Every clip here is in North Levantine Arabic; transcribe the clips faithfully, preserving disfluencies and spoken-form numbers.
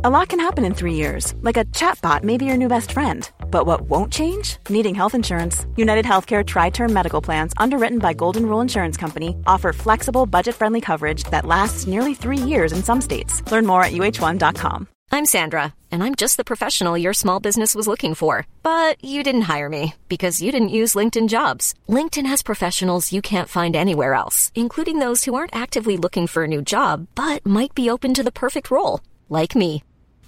A lot can happen in three years, like a chatbot may be your new best friend. But what won't change? Needing health insurance. United Healthcare Tri-Term Medical Plans, underwritten by Golden Rule Insurance Company, offer flexible, budget-friendly coverage that lasts nearly three years in some states. Learn more at U H one dot com. I'm Sandra, and I'm just the professional your small business was looking for. But you didn't hire me because you didn't use LinkedIn Jobs. LinkedIn has professionals you can't find anywhere else, including those who aren't actively looking for a new job, but might be open to the perfect role, like me.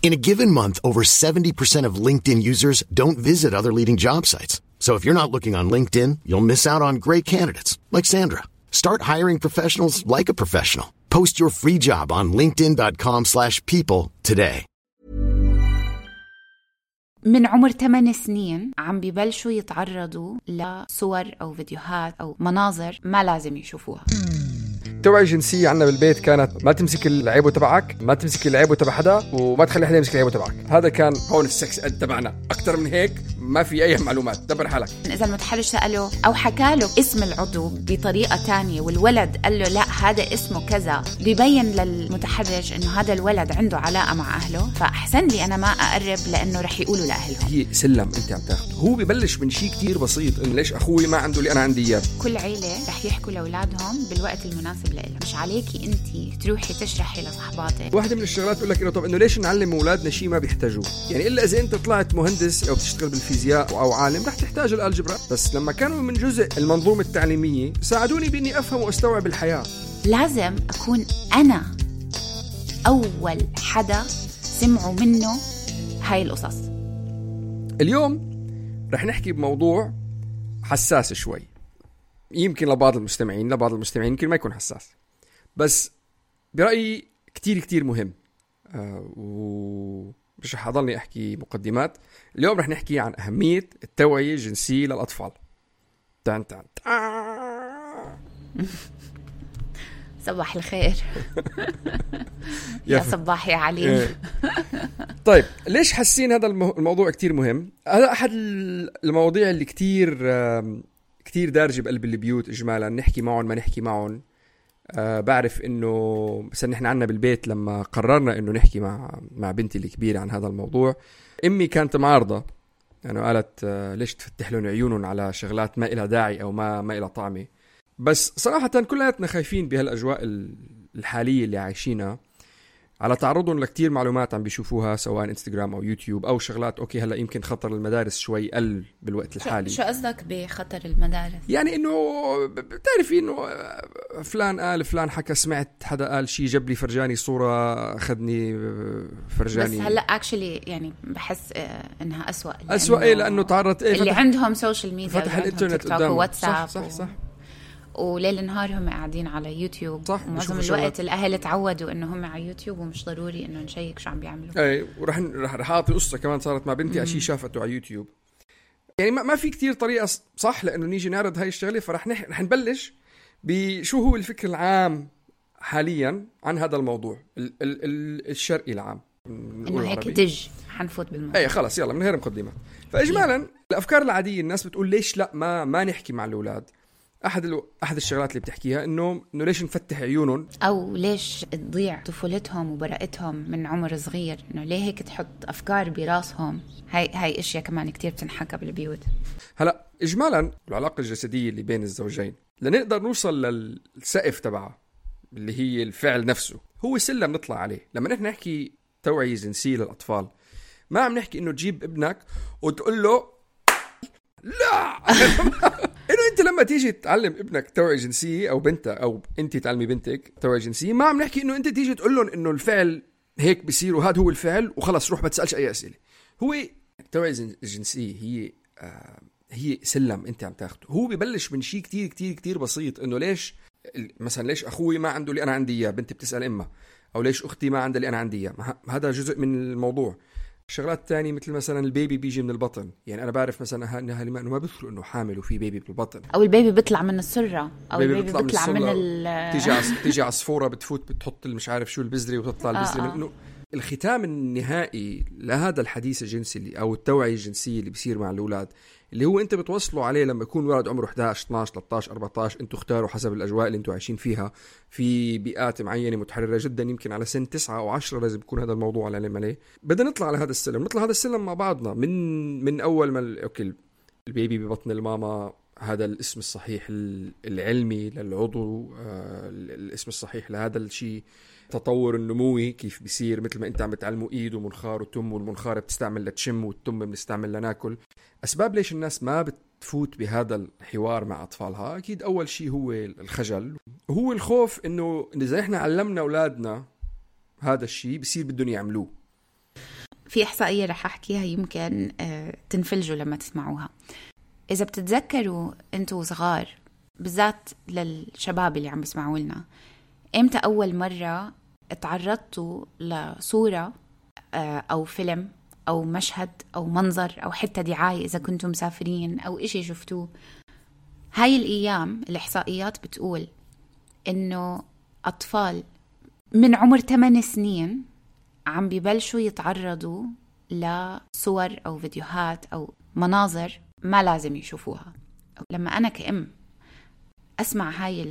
In a given month, over seventy percent of LinkedIn users don't visit other leading job sites. So if you're not looking on LinkedIn, you'll miss out on great candidates like Sandra. Start hiring professionals like a professional. Post your free job on linkedin dot com slash people today. من عمر ثمان سنين عم بيبلشوا يتعرضوا لصور أو فيديوهات أو مناظر ما لازم يشوفوها. توعية جنسية عنا بالبيت كانت ما تمسك العيبه تبعك، ما تمسك العيبه تبع حدا، وما تخلي حدا يمسك العيبه تبعك. هذا كان هون السكس اد تبعنا. أكتر من هيك ما في أي معلومات، دبر حالك. إذا المتحرش سأله أو حكى له اسم العضو بطريقة تانية والولد قال له لا هذا اسمه كذا، بيبين للمتحرش إنه هذا الولد عنده علاقة مع أهله، فأحسن لي أنا ما أقرب لأنه رح يقولوا لأهلهم. هي سلم أنت عم تاخده. هو ببلش من شيء كتير بسيط، إنه ليش أخوي ما عنده اللي أنا عندي إياه. كل عيلة رح يحكوا لأولادهم بالوقت المناسب لإلها، مش عليكي أنتي تروحي تشرحي لصحباتك. واحدة من الشغلات تقول لك إنه طب إنه ليش نعلم أولادنا شيء ما بيحتاجوه؟ يعني إلا إذا أنت طلعت مهندس أو بتشتغل بالفيزياء أو عالم رح تحتاج الألجبرا، بس لما كانوا من جزء المنظومة التعليمية ساعدوني بإني أفهم وأستوعب الحياة. لازم أكون أنا أول حدا سمعوا منه هاي القصص. اليوم رح نحكي بموضوع حساس شوي، يمكن لبعض المستمعين لبعض المستمعين يمكن ما يكون حساس، بس برأيي كتير كتير مهم. آه ومش رح أضلني أحكي مقدمات. اليوم رح نحكي عن أهمية التوعية الجنسية للأطفال. تان تان صباح الخير. يا صباح يا عليم. طيب ليش حاسين هذا الموضوع كتير مهم؟ هذا أحد المواضيع اللي كتير كتير دارجة بقلب البيوت إجمالا، نحكي معهم ما نحكي معهم. أه بعرف إنه مثلا نحن عنا بالبيت لما قررنا إنه نحكي مع مع بنتي الكبيرة عن هذا الموضوع، أمي كانت معارضة، يعني قالت أه ليش تفتح لهم عيونهم على شغلات ما إلها داعي أو ما ما إلها طعمة. بس صراحة كلنا خايفين بهالأجواء الحالية اللي عايشينها على تعرضهم لكتير معلومات عم بيشوفوها سواء انستغرام أو يوتيوب أو شغلات. أوكي هلأ يمكن خطر المدارس شوي قل بالوقت الحالي. شو قصدك بخطر المدارس؟ يعني إنه بتعرفي إنه فلان قال فلان حكى، سمعت حدا قال شي، جاب لي فرجاني صورة، أخذني فرجاني. بس هلأ اكشلي يعني بحس إنها أسوأ أسوأ إيه لأنه تعرض إيه اللي عندهم سوشيال ميديا، فتح الإنترنت قدامهم وواتساب صح صح, صح. وليل نهار هم قاعدين على يوتيوب. معظم الوقت الأهل تعودوا إنه هم على يوتيوب ومش ضروري إنه نشيك شو عم بيعملوا. أي ورح رح رح أعطي قصة كمان صارت مع بنتي أشي شافته على يوتيوب. يعني ما ما في كتير طريقة صح لأنه نيجي نعرض هاي الشغلة، فرح نح رح نبلش بشو هو الفكر العام حاليا عن هذا الموضوع ال ال ال الشرقي العام. إنه هيك دج حنفوت بالموضوع. أي خلاص يلا من غير مقدمة. فإجمالا الأفكار العادية الناس بتقول ليش لا ما ما نحكي مع الأولاد. أحد ال... أحد الشغلات اللي بتحكيها إنه إنه ليش نفتح عيونهم أو ليش تضيع طفولتهم وبراءتهم من عمر صغير، إنه ليه هيك تحط أفكار براسهم. هاي هاي إشياء كمان كتير بتنحكى بالبيوت. هلا إجمالا العلاقة الجسدية اللي بين الزوجين لنقدر نوصل للسقف تبعها اللي هي الفعل نفسه، هو سلم نطلع عليه. لما نحن نحكي توعية جنسية للأطفال ما عم نحكي إنه تجيب ابنك وتقول له لا إنه أنت لما تيجي تعلم ابنك توعية جنسية أو بنتك أو أنت تعلمي بنتك توعية جنسية، ما عم نحكي إنه أنت تيجي تقول لهم إنه الفعل هيك بيصير وهذا هو الفعل وخلاص روح ما تسألش أي أسئلة. هو التوعية الجنسية هي آه هي سلم أنت عم تاخده. هو ببلش من شيء كتير كتير كتير بسيط، إنه ليش مثلا ليش أخوي ما عنده اللي أنا عندي إياه، بنتي بتسأل إمه، أو ليش أختي ما عندها اللي أنا عندي إياه. هذا جزء من الموضوع. شغلات تانية مثل مثلا البيبي بيجي من البطن، يعني أنا بعرف مثلا أنها إنه ما بيخلوا إنه حامل وفي بيبي بالبطن، أو البيبي بيطلع من السرة، أو البيبي بيطلع, بيطلع من, من ال تيجي عص... تيجي عصفورة بتفوت بتحط مش عارف شو البذرة وتطلع البذرة. آه آه. إنه الختام النهائي لهذا الحديث الجنسي اللي أو التوعية الجنسية اللي بيصير مع الأولاد اللي هو أنت بتوصلوا عليه لما يكون ولد عمره إحدى عشر اثنا عشر ثلاثة عشر أربعة عشر، أنتوا اختاروا حسب الأجواء اللي أنتوا عايشين فيها في بيئات معينة متحررة جدا. يمكن على سن تسعة أو عشرة لازم يكون هذا الموضوع على العلم عليه. بدنا نطلع على هذا السلم، نطلع هذا السلم مع بعضنا من من أول ما أوكي البيبي ببطن الماما، هذا الاسم الصحيح العلمي للعضو، آه الاسم الصحيح لهذا الشيء، تطور النموي كيف بيصير مثل ما انت عم بتعلموا ايد ومنخار وتم، والمنخار بتستعمل لتشم والتم بنستعمل لناكل. اسباب ليش الناس ما بتفوت بهذا الحوار مع اطفالها اكيد اول شيء هو الخجل، وهو الخوف انه اذا احنا علمنا اولادنا هذا الشيء بيصير بدهم يعملوه. في احصائيه رح احكيها يمكن تنفلجوا لما تسمعوها. اذا بتتذكروا انتوا صغار، بالذات للشباب اللي عم بيسمعوا لنا، امتى اول مره اتعرضتوا لصوره او فيلم او مشهد او منظر او حتى دعايه اذا كنتم مسافرين او اشي شفتوه؟ هاي الايام الاحصائيات بتقول انه اطفال من عمر ثماني سنين عم بيبلشوا يتعرضوا لصور او فيديوهات او مناظر ما لازم يشوفوها. لما انا كأم أسمع هاي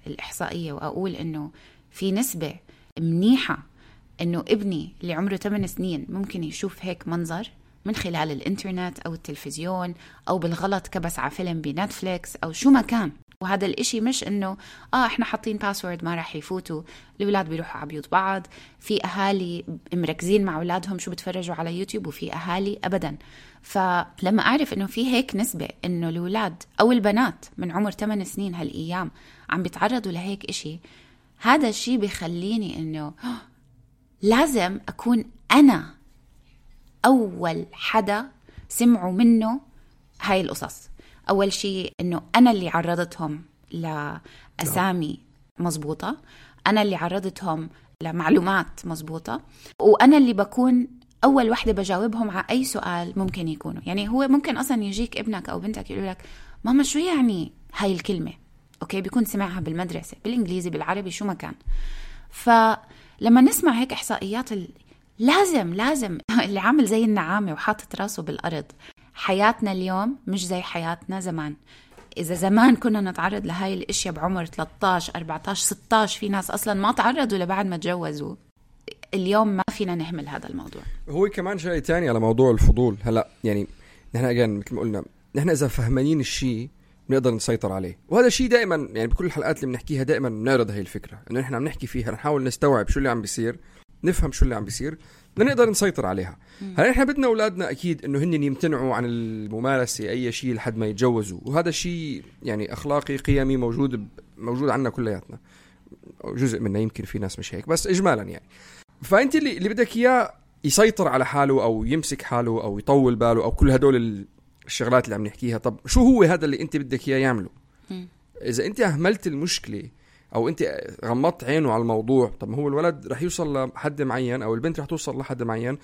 الإحصائية وأقول إنه في نسبة منيحة إنه ابني اللي عمره ثمان سنين ممكن يشوف هيك منظر من خلال الإنترنت أو التلفزيون أو بالغلط كبس على فيلم بنتفليكس أو شو ما كان، وهذا الإشي مش إنه آه إحنا حاطين باسورد ما راح يفوتوا، الأولاد بيروحوا على بيوت بعض، في أهالي مركزين مع أولادهم شو بتفرجوا على يوتيوب، وفي أهالي أبداً. فلما أعرف إنه في هيك نسبة إنه الأولاد أو البنات من عمر ثمان سنين هالأيام عم بيتعرضوا لهيك إشي، هذا الشي بيخليني إنه لازم أكون أنا أول حدا سمعوا منه هاي القصص. أول شيء إنه أنا اللي عرضتهم لأسامي مزبوطة، أنا اللي عرضتهم لمعلومات مزبوطة، وأنا اللي بكون أول واحدة بجاوبهم على أي سؤال ممكن يكونوا. يعني هو ممكن أصلا يجيك ابنك أو بنتك يقول لك ماما شو يعني هاي الكلمة، أوكي بيكون سمعها بالمدرسة بالإنجليزي بالعربي شو ما كان. فلما نسمع هيك إحصائيات لازم لازم اللي عامل زي النعامة وحاطط راسه بالأرض. حياتنا اليوم مش زي حياتنا زمان. إذا زمان كنا نتعرض لهاي الاشياء بعمر ثلاثة عشر أربعة عشر ستة عشر، في ناس أصلا ما تعرضوا لبعد ما تجوزوا. اليوم ما فينا نهمل هذا الموضوع. هو كمان شيء تاني على موضوع الفضول. هلأ يعني نحن أجان مثل ما قلنا، نحن إذا فهمانين الشيء بنقدر نسيطر عليه، وهذا الشيء دائما يعني بكل الحلقات اللي بنحكيها دائما بنعرض هاي الفكرة إنه نحن عم نحكي فيها، نحاول نستوعب شو اللي عم بيصير، نفهم شو اللي عم بيصير لنقدر نسيطر عليها. هلا احنا بدنا اولادنا اكيد انه هن يمتنعوا عن الممارسه اي شيء لحد ما يتجوزوا، وهذا الشيء يعني اخلاقي قيمي موجود موجود عندنا كلياتنا، جزء منه يمكن في ناس مش هيك، بس اجمالا يعني. فانت اللي اللي بدك اياه يسيطر على حاله او يمسك حاله او يطول باله او كل هدول الشغلات اللي عم نحكيها. طب شو هو هذا اللي انت بدك اياه يعمله؟ اذا انت اهملت المشكله او انت غمضت عينه على الموضوع، طب هو الولد رح يوصل لحد معين او البنت رح توصل لحد معين،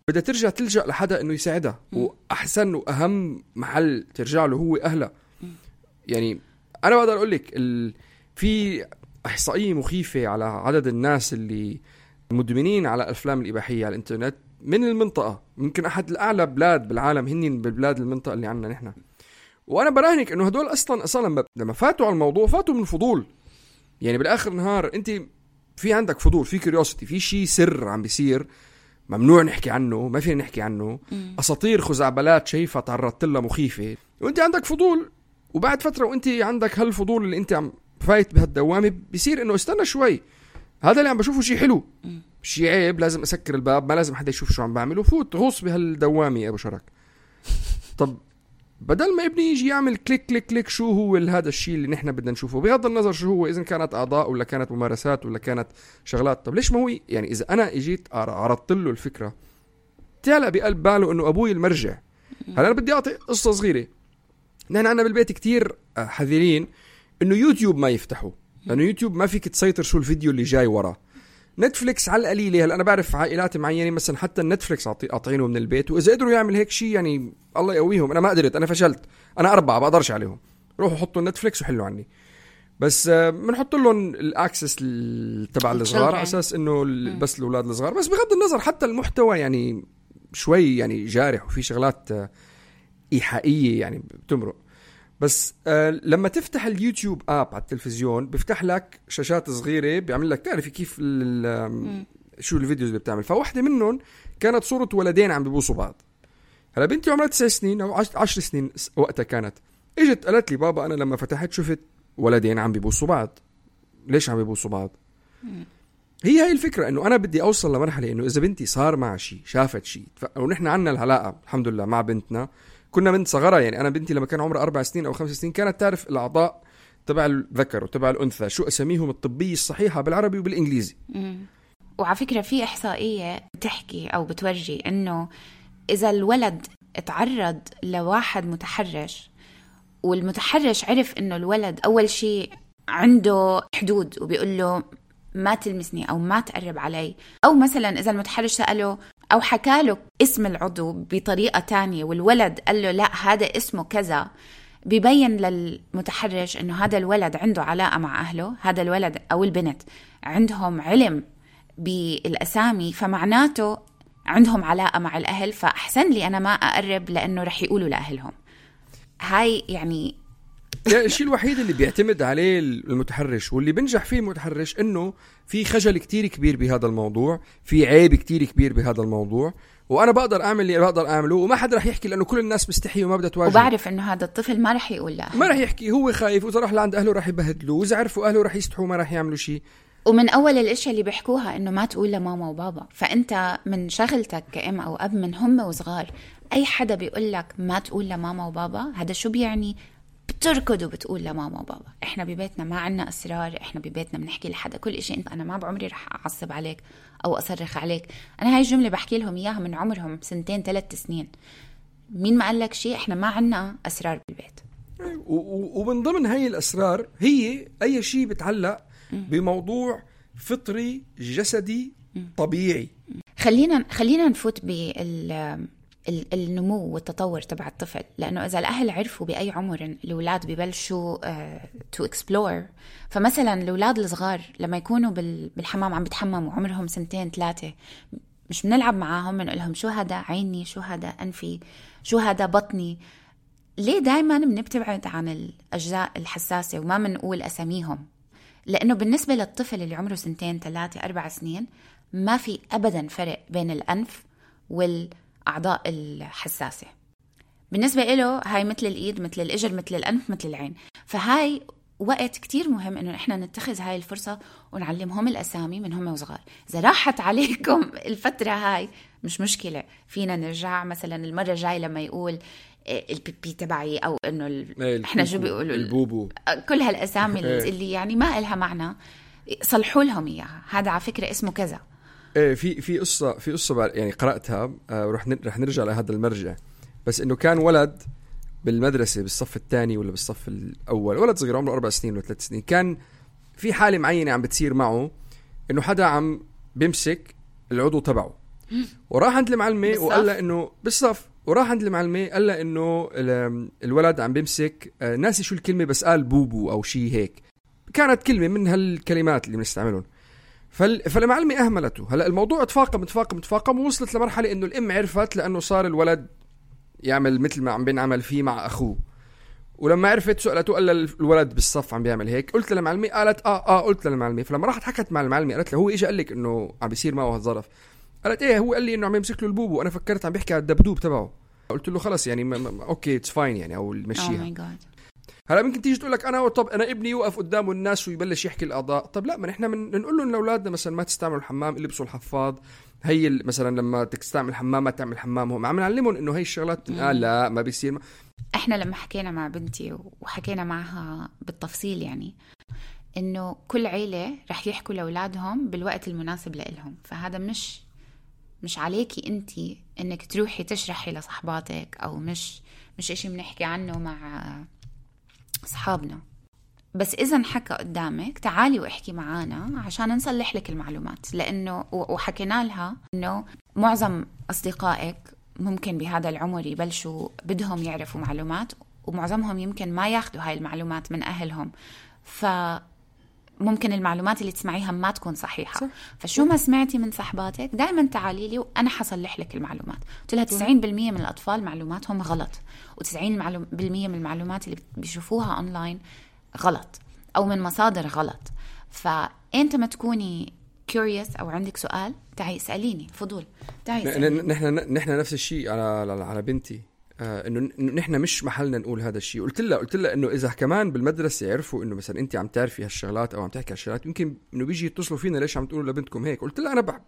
بدها ترجع تلجأ لحدا انه يساعدها. واحسن واهم محل ترجع له هو اهلها. يعني انا بقدر اقول لك ال... في احصائيه مخيفه على عدد الناس اللي مدمنين على الافلام الاباحيه على الانترنت من المنطقه، ممكن احد الاعلى بلاد بالعالم هن بالبلاد المنطقه اللي عندنا نحن. وانا براهنك انه هدول اصلا اصلا لما فاتوا على الموضوع فاتوا من فضول. يعني بالاخر نهار انت في عندك فضول، في كيوريوسيتي، في شيء سر عم بيصير ممنوع نحكي عنه، ما فينا نحكي عنه، م. اساطير خزعبلات شايفه تعرضت لها مخيفه، وانت عندك فضول. وبعد فتره وانت عندك هالفضول اللي انت عم فايت بهالدوامه، بيصير انه استنى شوي، هذا اللي عم بشوفه شيء حلو، شيء عيب، لازم اسكر الباب، ما لازم حدا يشوف شو عم بعمل، وفوت غوص بهالدوامه يا ابو شرك. طب بدل ما ابني يجي يعمل كليك كليك كليك شو هو هذا الشيء اللي نحن بدنا نشوفه، بغض النظر شو هو، إذا كانت أعضاء ولا كانت ممارسات ولا كانت شغلات. طب ليش ما هو يعني إذا أنا إجيت عرضت له الفكرة تعلق بقلب باله إنه أبوي المرجع. هلا أنا بدي أعطي قصة صغيرة. نحن عنا بالبيت كتير حذرين إنه يوتيوب ما يفتحوا، لأنه يوتيوب ما فيك تسيطر شو الفيديو اللي جاي وراه. نتفليكس على القليلة. هلا أنا بعرف عائلات معينة مثلا حتى النتفليكس قاطعينه من البيت، وإذا قدروا يعمل هيك شيء يعني الله يقويهم. أنا ما قدرت، أنا فشلت، أنا أربعة بقدرش عليهم. روحوا حطوا النتفليكس وحلوا عني. بس بنحط لهم الاكسس تبع الصغار على اساس انه بس الاولاد الصغار. بس بغض النظر حتى المحتوى يعني شوي يعني جارح وفي شغلات ايحائيه يعني بتمرق. بس آه لما تفتح اليوتيوب اب على التلفزيون بيفتح لك شاشات صغيره بيعمل لك تعرفي كيف شو الفيديوز اللي بتعمل. فواحده منهم كانت صوره ولدين عم بيبوسوا بعض. هلا بنتي عمرها تسع سنين او عشر سنين وقتها كانت، اجت قالت لي بابا انا لما فتحت شفت ولدين عم بيبوسوا بعض. ليش عم بيبوسوا بعض؟ مم. هي هاي الفكره انه انا بدي اوصل لمرحله انه اذا بنتي صار معها شيء شافت شيء ونحن عنا العلاقه الحمد لله مع بنتنا كنا من صغرها. يعني انا بنتي لما كان عمرها اربع سنين او خمس سنين كانت تعرف الاعضاء تبع الذكر وتبع الانثى شو اساميهم الطبيه الصحيحه بالعربي وبالانجليزي. مم. وعلى فكره في احصائيه بتحكي او بتورجي انه اذا الولد اتعرض لواحد متحرش والمتحرش عرف انه الولد اول شيء عنده حدود وبيقول له ما تلمسني او ما تقرب علي، او مثلا اذا المتحرش سأله او حكى له اسم العضو بطريقة تانية والولد قال له لا هذا اسمه كذا، بيبين للمتحرش انه هذا الولد عنده علاقة مع اهله، هذا الولد او البنت عندهم علم بالاسامي فمعناته عندهم علاقة مع الاهل، فاحسن لي انا ما اقرب لانه رح يقولوا لاهلهم. هاي يعني الشيء الوحيد اللي بيعتمد عليه المتحرش واللي بنجح فيه المتحرش انه في خجل كتير كبير بهذا الموضوع، في عيب كتير كبير بهذا الموضوع، وانا بقدر اعمل اللي بقدر اعمله وما حد رح يحكي لانه كل الناس مستحي وما بدها تواجه. وبعرف انه هذا الطفل ما رح يقول لا، ما رح يحكي، هو خايف واذا راح لعند اهله رح يبهدلوه، واذا عرفوا اهله رح يستحوا ما رح يعملوا شيء. ومن اول الاشياء اللي بيحكوها انه ما تقول لماما وبابا، فانت من شغلتك كأم او اب من هم وصغار اي حدا بيقول لك ما تقول لماما وبابا هذا شو بيعني؟ بتركض وبتقول لماما وبابا. احنا ببيتنا ما عنا اسرار، احنا ببيتنا بنحكي لحدا كل اشي. انت انا ما بعمري رح اعصب عليك او اصرخ عليك. انا هاي الجمله بحكي لهم اياها من عمرهم سنتين ثلاث سنين. مين ما قال لك شيء؟ احنا ما عنا اسرار بالبيت. ومن ضمن هاي الاسرار هي اي شيء بتعلق بموضوع فطري جسدي طبيعي. خلينا خلينا نفوت بال النمو والتطور تبع الطفل، لأنه إذا الأهل عرفوا بأي عمر الأولاد ببلشوا تو إكسبلور. فمثلا الأولاد الصغار لما يكونوا بالحمام عم بيتحمموا عمرهم سنتين ثلاثة، مش بنلعب معاهم بنقول لهم شو هذا عيني، شو هذا أنفي، شو هذا بطني. ليه دايما بنبتعد عن الأجزاء الحساسة وما بنقول أساميهم؟ لأنه بالنسبة للطفل اللي عمره سنتين ثلاثة أربع سنين ما في أبدا فرق بين الأنف وال أعضاء الحساسة. بالنسبة له هاي مثل الإيد، مثل الإجر، مثل الأنف، مثل العين. فهاي وقت كتير مهم إنه إحنا نتخذ هاي الفرصة ونعلمهم الأسامي من هم وصغار. إذا راحت عليكم الفترة هاي مش مشكلة، فينا نرجع مثلا المرة الجاي لما يقول البيبي تبعي أو إنه ال... إحنا شو بيقولوا البوبو، كل هالأسامي اللي يعني ما إلها معنى صلحوا لهم إياها. هذا على فكرة اسمه كذا. ايه في في قصه في قصه يعني قراتها ورح رح نرجع لهذا المرجع. بس انه كان ولد بالمدرسه بالصف الثاني ولا بالصف الاول، ولد صغير عمره اربع سنين ولا ثلاث سنين، كان في حاله معينه عم بتصير معه انه حدا عم بيمسك العضو تبعه، وراح عند المعلمه وقال لها انه بالصف، وراح عند المعلمه قال لها انه الولد عم بيمسك، ناسي شو الكلمه بس قال بوبو او شيء هيك، كانت كلمه من هالكلمات اللي بنستعملهم. فالمعلمة أهملته. هلأ الموضوع تفاقم تفاقم تفاقم ووصلت لمرحلة إنه الأم عرفت لأنه صار الولد يعمل مثل ما عم بينعمل فيه مع أخوه، ولما عرفت سألته قال الولد بالصف عم بيعمل هيك. قلت للمعلمة، قالت آه آه قلت للمعلمة. فلما راحت حكت مع المعلمة قالت له هو إيش قال لك إنه عم بيصير معه هالظرف؟ قالت إيه هو قال لي إنه عم يمسك له البوبو، أنا فكرت عم بيحكي على الدبدوب تبعه. قلت له خلص يعني م- م- أوكي it's fine يعني أو المشيها. oh هلا ممكن تيجي تقول لك انا طب انا ابني يوقف قدامه الناس ويبلش يحكي الاعضاء. طب لا، ما نحن من نقول لهم لاولادنا مثلا ما تستعملوا الحمام، البسوا الحفاض، هي مثلا لما تستعمل الحمام ما تعمل حمام. هم عم نعلمهم انه هي الشغلات آه لا ما بيصير. ما. احنا لما حكينا مع بنتي وحكينا معها بالتفصيل يعني انه كل عيله رح يحكوا لاولادهم بالوقت المناسب لهم، فهذا مش مش عليكي انتي انك تروحي تشرحي لصحباتك، او مش مش اشي بنحكي عنه مع أصحابنا. بس إذا حكى قدامك تعالي واحكي معانا عشان نصلح لك المعلومات، لأنه وحكينا لها إنه معظم أصدقائك ممكن بهذا العمر يبلشوا بدهم يعرفوا معلومات، ومعظمهم يمكن ما ياخدوا هاي المعلومات من أهلهم، فممكن المعلومات اللي تسمعيها ما تكون صحيحة. صح. فشو ما سمعتي من صحباتك دائما تعالي لي وأنا حصلح لك المعلومات. قلت لها تسعين بالمية من الأطفال معلوماتهم غلط، وتسعين بالمية من المعلومات اللي بيشوفوها أونلاين غلط أو من مصادر غلط. فأنت ما تكوني curious أو عندك سؤال تعي اسأليني، فضول تعي. نحن نحن نفس الشيء على على بنتي، آه انه نحن مش محلنا نقول هذا الشيء. قلت لها قلت لها انه اذا كمان بالمدرسه يعرفوا انه مثلا انت عم تعرفي هالشغلات او عم تحكي هالشغلات، يمكن انه بيجي يتصلوا فينا ليش عم تقولوا لبنتكم هيك. قلت لها انا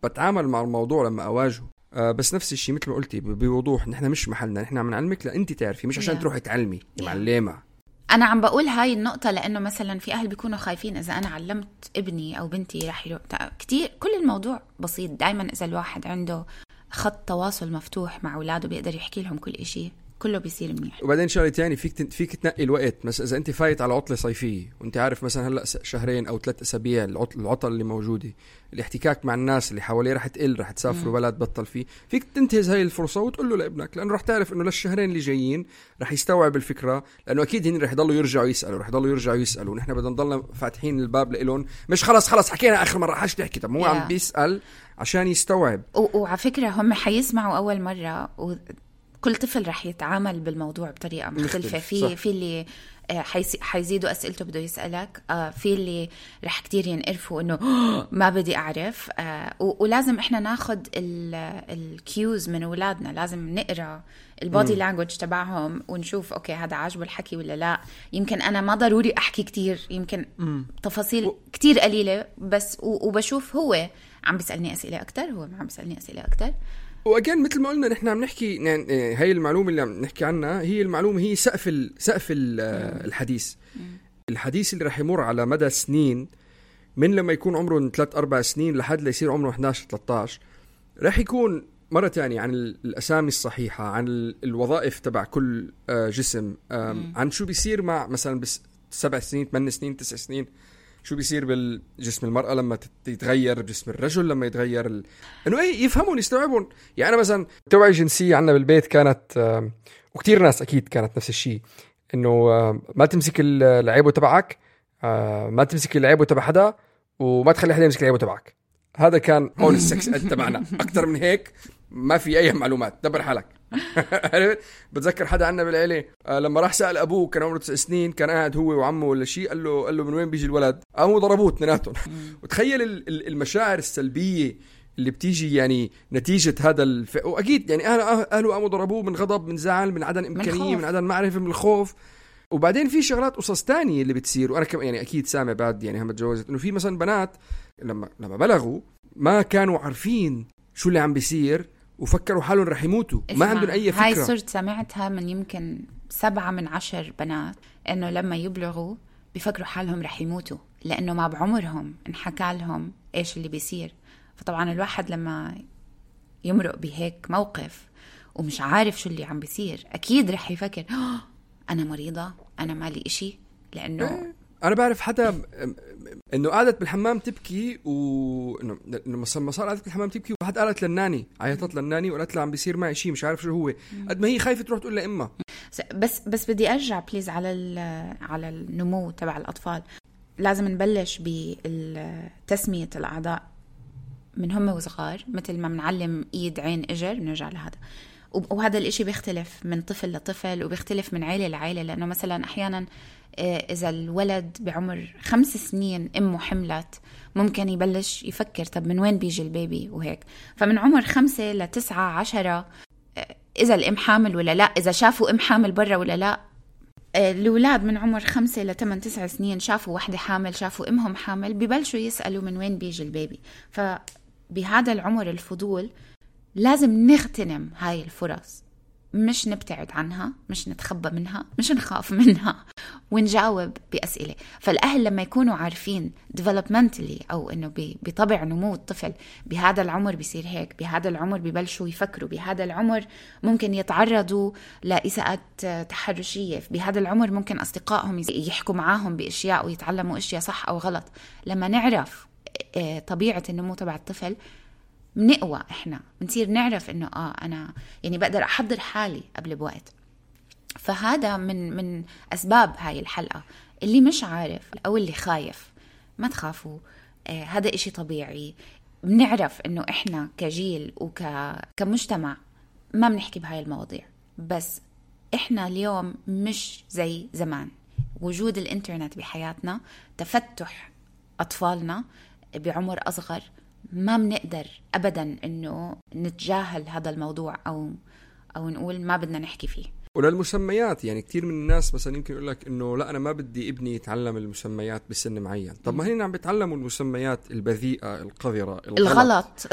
بتعامل مع الموضوع لما اواجهه، آه بس نفس الشيء مثل ما قلتي بوضوح، نحن مش محلنا، نحن عم نعلمك لانت تعرفي، مش عشان yeah. تروحي تعلمي yeah. معلمه. أنا عم بقول هاي النقطة لأنه مثلا في أهل بيكونوا خايفين إذا أنا علمت ابني أو بنتي رح يروح كتير. كل الموضوع بسيط دايما، إذا الواحد عنده خط تواصل مفتوح مع أولاده بيقدر يحكي لهم كل إشي، كله بيصير منيح. وبعدين شغله تاني، فيك فيك تنقي الوقت. مثلا اذا انت فايت على عطله صيفيه وانت عارف مثلا هلا شهرين او ثلاث اسابيع العطل العطل اللي موجوده، الاحتكاك مع الناس اللي حواليه رح تقل، رح تسافروا بلد بطل فيه، فيك تنتهز هاي الفرصه وتقول له لابنك، لانه رح تعرف انه للشهرين اللي جايين رح يستوعب الفكره، لانه اكيد هن رح يضلوا يرجعوا يسالوا رح يضلوا يرجعوا يسالوا ونحن بدنا نضلنا فاتحين الباب لهم، مش خلص خلص حكينا اخر مره حاج تحكي. طب مو عم بيسال عشان يستوعب. وعلى فكره هم حيسمعوا اول مره و... كل طفل رح يتعامل بالموضوع بطريقة مختلفة. في في اللي حيزيدوا أسئلته بده يسألك، في اللي رح كتير ينقرفوا إنه ما بدي أعرف. ولازم إحنا ناخد الكيوز من أولادنا، لازم نقرأ البودي لانجوج تبعهم ونشوف أوكي هذا عاجبه الحكي ولا لا. يمكن أنا ما ضروري أحكي كتير، يمكن تفاصيل كتير قليلة بس، وبشوف هو عم بيسألني أسئلة أكتر، هو ما عم بيسألني أسئلة أكتر. وأجان مثل ما قلنا نحن عم نحكي يعني هاي المعلومة اللي عم نحكي عنها هي المعلومة، هي سقف ال سقف ال الحديث الحديث اللي راح يمر على مدى سنين، من لما يكون عمره ثلاث أربع سنين لحد ليصير عمره إحدى عشر ثلاثة عشر، راح يكون مرة تانية عن الأسامي الصحيحة، عن الوظائف تبع كل جسم، عن شو بيصير مع مثلا بس سبع سنين ثمان سنين تسع سنين، شو بيصير بالجسم المرأة لما تتغير، بجسم الرجل لما يتغير ال... انه ايه يفهمون يستوعبون. يعني انا مثلا توعية جنسية عنا بالبيت كانت، وكتير ناس اكيد كانت نفس الشيء، انه ما تمسك العيبه تبعك، ما تمسك العيبه تبع حدا، وما تخلي حدا يمسك العيبه تبعك. هذا كان اون السكس اد تبعنا. اكثر من هيك ما في اي معلومات، دبر حالك. بتذكر حدا عنا بالعيله لما راح سأل ابوه كان عمره تسع سنين، كان قاعد هو وعمه ولا شيء، قال له قال له من وين بيجي الولد؟ قاموا ضربوه اثنيناتهم. وتخيل المشاعر السلبيه اللي بتيجي يعني نتيجه هذا الف... واكيد يعني اهله اهله قاموا ضربوه من غضب، من زعل، من عدم امكانيه، من عدم معرفه، من الخوف. وبعدين في شغلات قصص تانية اللي بتصير، وانا كم يعني اكيد سامع بعد يعني هم تجوزت، انه في مثلا بنات لما لما بلغوا ما كانوا عارفين شو اللي عم بيصير، وفكروا حالهم رح يموتوا، ما عندهم أي فكرة. هاي صرت سمعتها من يمكن سبعة من عشر بنات، إنه لما يبلغوا بيفكروا حالهم رح يموتوا، لأنه ما بعمرهم انحكى لهم إيش اللي بيصير. فطبعا الواحد لما يمرق بهيك موقف ومش عارف شو اللي عم بيصير، أكيد رح يفكر أنا مريضة، أنا مالي إشي، لأنه أنا بعرف حدا إنه قعدت بالحمام تبكي، وإنه إنه ما صار قعدت بالحمام تبكي، وواحد قالت للناني، عيطت للناني وقالت له عم بيصير معي شيء مش عارف شو هو، قد ما هي خايفة تروح تقول لإمها. بس بس بدي أرجع بليز على على النمو تبع الأطفال. لازم نبلش بتسمية الأعضاء من هم وصغار، مثل ما بنعلم إيد عين إجر بنرجع لهذا. وهذا الإشي بيختلف من طفل لطفل وبيختلف من عائلة لعائلة، لأنه مثلا أحيانا إذا الولد بعمر خمس سنين أمه حملت، ممكن يبلش يفكر طب من وين بيجي البيبي وهيك. فمن عمر خمسة لتسعة عشرة إذا الأم حامل ولا لا، إذا شافوا أم حامل برا ولا لا. الأولاد من عمر خمسة لثمان تسع سنين شافوا واحدة حامل، شافوا أمهم حامل، ببلشوا يسألوا من وين بيجي البيبي. فبهذا العمر الفضول لازم نغتنم هاي الفرص، مش نبتعد عنها، مش نتخبى منها، مش نخاف منها، ونجاوب بأسئلة. فالأهل لما يكونوا عارفين developmentally أو إنه بطبع نمو الطفل بهذا العمر بيصير هيك، بهذا العمر بيبلشوا يفكروا، بهذا العمر ممكن يتعرضوا لإساءات تحرشية، بهذا العمر ممكن أصدقائهم يحكوا معاهم بأشياء ويتعلموا أشياء صح أو غلط. لما نعرف طبيعة النمو تبع الطفل بنقوى، إحنا بنصير نعرف إنه آه أنا يعني بقدر أحضر حالي قبل بوقت. فهذا من من أسباب هاي الحلقة، اللي مش عارف أو اللي خايف ما تخافوا، آه هذا إشي طبيعي. بنعرف إنه إحنا كجيل وكمجتمع ما بنحكي بهاي المواضيع، بس إحنا اليوم مش زي زمان. وجود الإنترنت بحياتنا، تفتح أطفالنا بعمر أصغر، ما بنقدر أبدا إنه نتجاهل هذا الموضوع أو أو نقول ما بدنا نحكي فيه. وللمسميات يعني كتير من الناس مثلا يمكن يقول لك إنه لا أنا ما بدي ابني يتعلم المسميات بسن معين. طب ما هن عم بيتعلموا المسميات البذيئة القذرة الغلط, الغلط.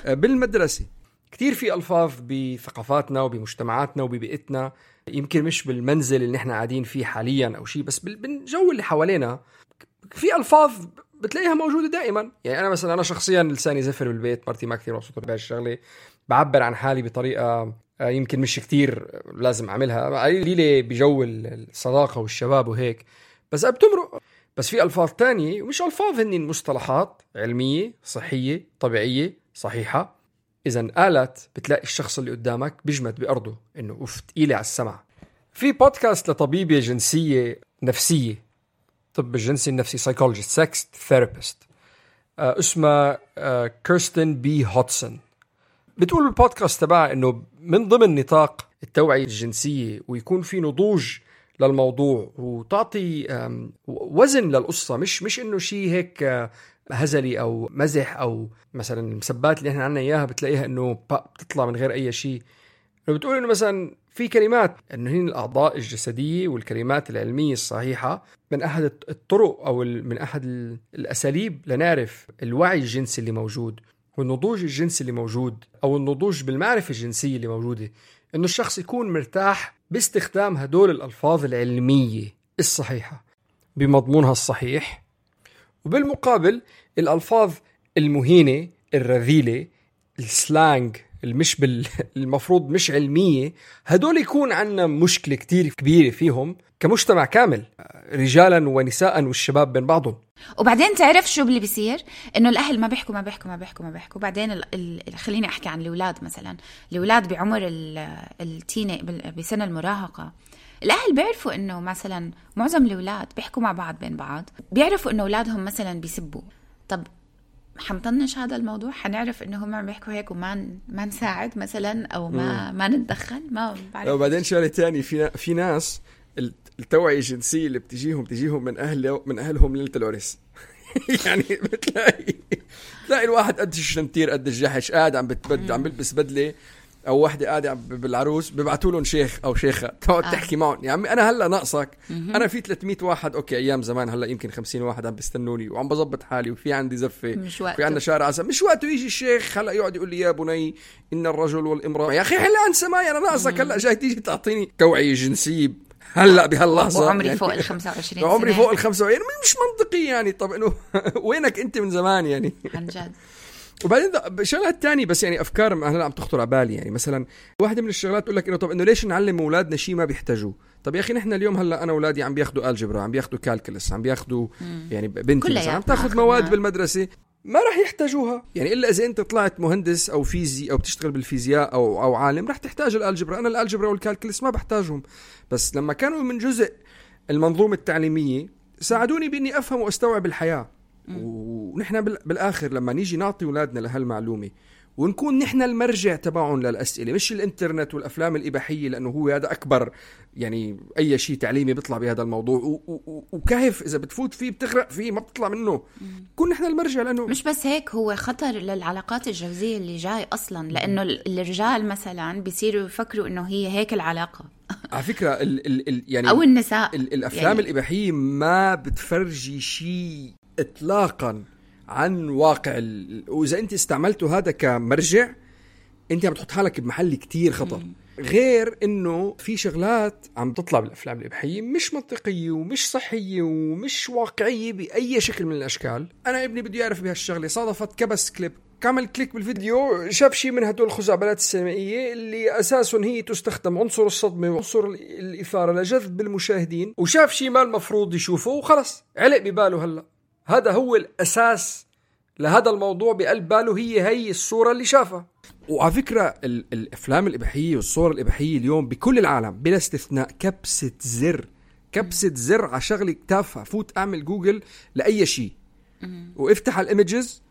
بالمدرسة. كتير في ألفاظ بثقافاتنا وبمجتمعاتنا وببيئتنا، يمكن مش بالمنزل اللي نحن قاعدين فيه حاليا أو شيء، بس بالجو اللي حوالينا في ألفاظ بتلاقيها موجودة دائما. يعني أنا مثلا أنا شخصيا لساني زفر بالبيت، مرتي ما كثير مبسوطة بهاي الشغلة، بعبر عن حالي بطريقة يمكن مش كتير لازم أعملها، قليلة بجو الصداقة والشباب وهيك، بس بتمرق. بس في ألفاظ تانية ومش ألفاظ، هني مصطلحات علمية صحية طبيعية صحيحة، إذن قالت بتلاقي الشخص اللي قدامك بيجمد بأرضه إنه أوف تقيلة على السمع. في بودكاست لطبيبة جنسية نفسية، طب الجنسي النفسي psychologist sex therapist، آه اسمها آه كيرستن بي هوتسون. بتقول بالبودكاست تبعها إنه من ضمن نطاق التوعية الجنسية ويكون في نضوج للموضوع وتعطي وزن للقصة، مش مش إنه شيء هيك هزلي أو مزح أو مثلا المسبات اللي إحنا عنا إياها بتلاقيها إنه بتطلع من غير أي شيء. بتقول إنه مثلا في كلمات إنه هي الأعضاء الجسدية والكلمات العلمية الصحيحة من أحد الطرق أو من أحد الأساليب لنعرف الوعي الجنسي اللي موجود والنضوج الجنسي اللي موجود أو النضوج بالمعرفة الجنسية اللي موجودة، إنه الشخص يكون مرتاح باستخدام هدول الألفاظ العلمية الصحيحة بمضمونها الصحيح، وبالمقابل الألفاظ المهينة الرذيلة السلانج المش بال... المفروض مش علمية، هدول يكون عنا مشكلة كتير كبيرة فيهم كمجتمع كامل، رجالا ونساء والشباب بين بعضهم. وبعدين تعرف شو اللي بيصير؟ إنه الأهل ما بيحكوا ما بيحكوا ما بيحكوا ما بيحكوا بعدين ال... ال... خليني أحكي عن الأولاد مثلا. الأولاد بعمر التيني بسنة المراهقة، الأهل بيعرفوا إنه مثلا معظم الأولاد بيحكوا مع بعض بين بعض، بيعرفوا إنه أولادهم مثلا بيسبوا. طب حنطنش هذا الموضوع، حنعرف إنه هم عم بيحكوا هيك وما ما نساعد مثلا أو ما ما نتدخل؟ ما بعرف. وبعدين شغلة تاني، في في ناس التوعية الجنسية اللي بتجيهم بتجيهم من أهل من أهلهم ليلة العرس. يعني بتلاقي تلاقي الواحد قد الشنتير قد الجحش قاعد عم بتبد عم بلبس بدلة، أو واحدة قاعدة بالعروس ببعتوا لهم شيخ أو شيخة تقعد آه. تحكي معهم. يا عمي أنا هلا ناقصك، أنا في ثلاثمية واحد أوكي أيام زمان، هلا يمكن خمسين واحد عم بيستنوني وعم بظبط حالي وفي عندي زفة في عندنا شارع عسل، مش وقته يجي الشيخ هلا يقعد يقول لي يا بني إن الرجل والامرأة. يا أخي هلا أنسى معي أنا ناقصك، هلا جاي تيجي تعطيني توعية جنسية هلا بهاللحظة وعمري يعني فوق الخمسة وعشرين سنة، عمري فوق الخمسة وعشرين مش منطقي يعني. طب إنه وينك أنت من زمان يعني عن جد. وبعدين شغلة الثانية بس يعني أفكار هلا عم تخطر على بالي، يعني مثلا واحدة من الشغلات تقول لك إنه طب إنه ليش نعلم أولادنا شيء ما بيحتاجوه؟ طب يا أخي نحن اليوم هلا أنا أولادي عم بياخدوا الجبرا، عم بياخدوا كالكولس، عم بياخدوا يعني بنتي مثلا عم تاخذ مواد بالمدرسة ما راح يحتاجوها، يعني إلا إذا أنت طلعت مهندس أو فيزي أو بتشتغل بالفيزياء أو أو عالم راح تحتاج الالجبرا. أنا الالجبرا والكالكولس ما بحتاجهم، بس لما كانوا من جزء المنظومة التعليمية ساعدوني بإني أفهم وأستوعب الحياة. ونحن بالآخر لما نيجي نعطي أولادنا لهالمعلومة ونكون نحن المرجع تبعهم للأسئلة، مش الإنترنت والأفلام الإباحية، لأنه هو هذا أكبر يعني أي شيء تعليمي بيطلع بهذا الموضوع وكهف إذا بتفوت فيه بتغرق فيه ما بتطلع منه. كون نحن المرجع، لأنه مش بس هيك، هو خطر للعلاقات الجوزية اللي جاي أصلا، لأنه الرجال مثلا بيصيروا يفكروا إنه هي هيك العلاقة. على فكرة ال ال ال يعني أو النساء ال الأفلام يعني الإباحية ما بتفرجي شيء إطلاقا عن واقع ال... وإذا أنت استعملته هذا كمرجع أنت عم تحط حالك بمحل كتير خطر. مم. غير إنه في شغلات عم تطلع بالأفلام الإباحية مش منطقية ومش صحية ومش واقعية بأي شكل من الأشكال. أنا ابني بده يعرف بهالشغلة، صادفت كبس كليب كامل كليك بالفيديو شاف شيء من هدول الخزعبلات السينمائية اللي أساساً هي تستخدم عنصر الصدمة وعنصر الإثارة لجذب المشاهدين، وشاف شيء ما المفروض يشوفه وخلص علق بباله هلأ هذا هو الأساس لهذا الموضوع بقلب باله، هي هي الصورة اللي شافها. وعلى فكرة الأفلام الإباحية والصور الإباحية اليوم بكل العالم بلا استثناء كبسة زر كبسة زر على شغلة تافهة، فوت اعمل جوجل لأي شيء وافتح الايمجز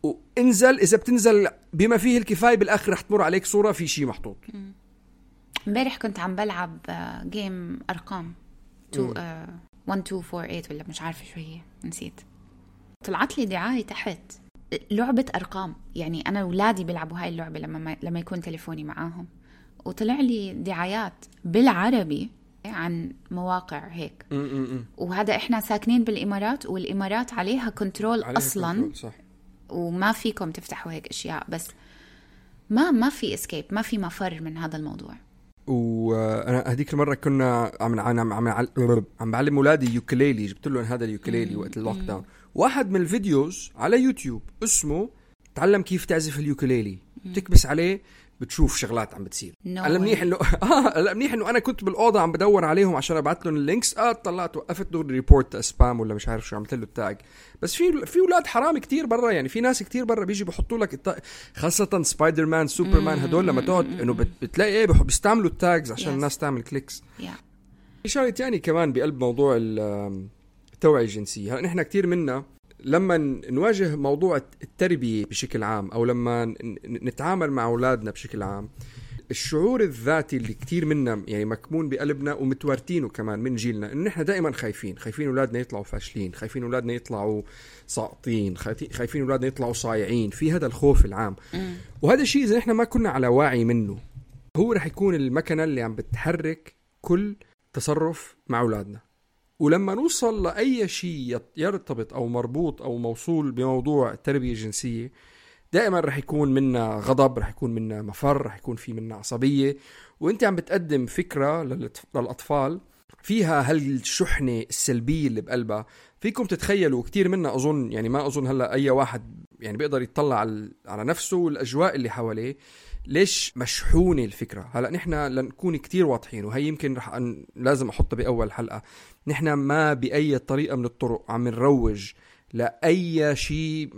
وانزل، اذا بتنزل بما فيه الكفاية بالاخر رح تمر عليك صورة في شيء محطوط. امبارح كنت عم بلعب جيم ارقام واحد اثنين أربعة ثمانية ولا مش عارفة شو هي، نسيت. طلعت لي دعاية تحت لعبة ارقام، يعني انا اولادي بيلعبوا هاي اللعبة لما لما يكون تليفوني معاهم، وطلع لي دعايات بالعربي عن مواقع هيك. م -م -م. وهذا احنا ساكنين بالامارات، والامارات عليها كنترول عليها اصلا كنترول، صح. وما فيكم تفتحوا هيك اشياء، بس ما ما في اسكيب، ما في مفر من هذا الموضوع. وانا هذيك المره كنا عم عم عم عم بعلم اولادي يوكليلي، جبت لهم هذا اليوكليلي وقت اللوك داون. واحد من الفيديوز على يوتيوب اسمه تعلم كيف تعزف اليوكليلي، بتكبس عليه بتشوف شغلات عم بتصير. انا منيح انه اه لا منيح انه انا كنت بالاوضه عم بدور عليهم عشان ابعث لهم اللينكس، اه طلعت وقفت دور ريبورت سبام ولا مش عارف شو، عملت له التاج. بس في في اولاد حرام كتير برا، يعني في ناس كتير برا بيجي بحطوا لك التا... خاصه سبايدر مان سوبر مان هدول لما تقعد انه بت... بتلاقي ايه بيستعملوا التاجز عشان yes. الناس تعمل كليكس. yeah. في شغله ثانيه كمان بقلب موضوع التوعيه الجنسيه. هلا نحن كتير منا لما نواجه موضوع التربية بشكل عام، أو لما نتعامل مع أولادنا بشكل عام، الشعور الذاتي اللي كتير منا يعني مكمون بقلبنا ومتوارتينه كمان من جيلنا، إنه نحن دائما خايفين خايفين أولادنا يطلعوا فاشلين، خايفين أولادنا يطلعوا ساقطين، خايفين أولادنا يطلعوا صايعين، في هذا الخوف العام. وهذا الشيء إذا نحن ما كنا على واعي منه هو رح يكون المكنة اللي عم بتحرك كل تصرف مع أولادنا. ولما نوصل لأي شيء يرتبط أو مربوط أو موصول بموضوع التربية الجنسية، دائما رح يكون منا غضب، رح يكون منا مفر، رح يكون في منا عصبية. وانت عم بتقدم فكرة للأطفال فيها هالشحنة السلبية اللي بقلبها. فيكم تتخيلوا كتير منا أظن، يعني ما أظن هلأ أي واحد يعني بيقدر يطلع على نفسه والأجواء اللي حواليه ليش مشحونة الفكرة. هلأ نحن لنكون كتير واضحين، وهي يمكن رح أن لازم أحطها بأول حلقة، نحن ما بأي طريقة من الطرق عم نروج لأي شيء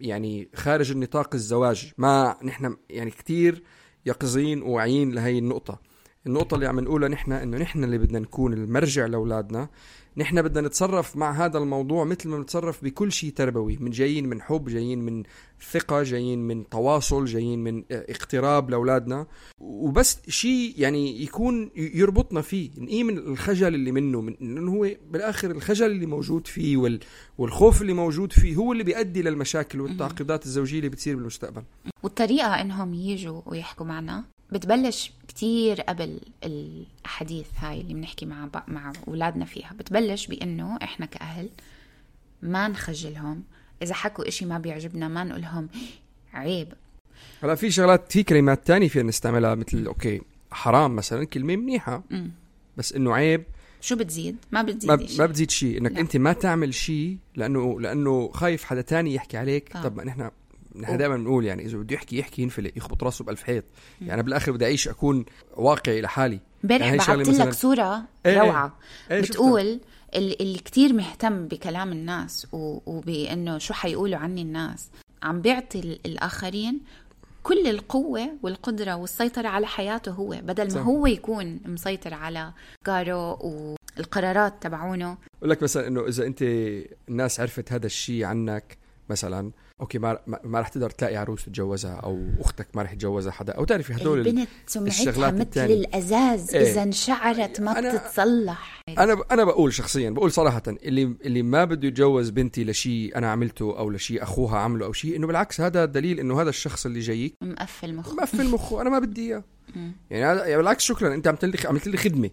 يعني خارج النطاق الزواج. ما نحن يعني كتير يقظين وواعيين لهي النقطة. النقطة اللي عم نقولها نحن إنه نحن اللي بدنا نكون المرجع لأولادنا. نحن بدنا نتصرف مع هذا الموضوع مثل ما نتصرف بكل شيء تربوي، من جايين من حب، جايين من ثقة، جايين من تواصل، جايين من اقتراب لأولادنا، وبس شيء يعني يكون يربطنا فيه، نقيم من الخجل اللي منه، من إنه هو بالآخر الخجل اللي موجود فيه وال والخوف اللي موجود فيه هو اللي بيؤدي للمشاكل والتعقيدات الزوجية اللي بتصير بالمستقبل. والطريقة إنهم يجوا ويحكوا معنا بتبلش كتير قبل الأحاديث هاي اللي بنحكي مع مع أولادنا فيها. بتبلش بأنه إحنا كأهل ما نخجلهم، إذا حكوا إشي ما بيعجبنا ما نقولهم عيب. هلا في شغلات، في كلمات تانية فينا نستعملها مثل أوكي حرام مثلا، كلمة منيحة م. بس إنه عيب شو بتزيد؟ ما بتزيد ما, ما بتزيد شيء. إنك لا. أنت ما تعمل شيء لأنه لأنه خايف حدا تاني يحكي عليك. آه. طب ما نحن نحن دائما بنقول يعني إذا بده يحكي يحكي ينفلق يخبط راسه بألف حيط. يعني بالآخر بدي أعيش أكون واقعي لحالي. امبارح يعني بعثت لك صورة ايه روعة ايه بتقول اللي, اللي كتير مهتم بكلام الناس وبأنه شو حيقولوا عني الناس، عم بيعطي الآخرين كل القوة والقدرة والسيطرة على حياته هو، بدل ما صح. هو يكون مسيطر على قاره والقرارات تبعونه. أقول لك مثلا إنه إذا أنت الناس عرفت هذا الشيء عنك مثلا، اوكي ما ما راح تقدر تلاقي عروس تتجوزها، او اختك ما راح يتجوزها حدا، او تعرفي هدول البنت سمعتها مثل التانية. الازاز ايه. اذا انشعرت ما أنا بتتصلح. انا انا بقول شخصيا، بقول صراحه، اللي اللي ما بده يتجوز بنتي لشيء انا عملته او لشيء اخوها عمله او شيء، انه بالعكس هذا دليل انه هذا الشخص اللي جايك مقفل مخه مقفل مخه انا ما بدي اياه. يعني هذا يعني بالعكس شكرا انت عملت لي عملت لي خدمه.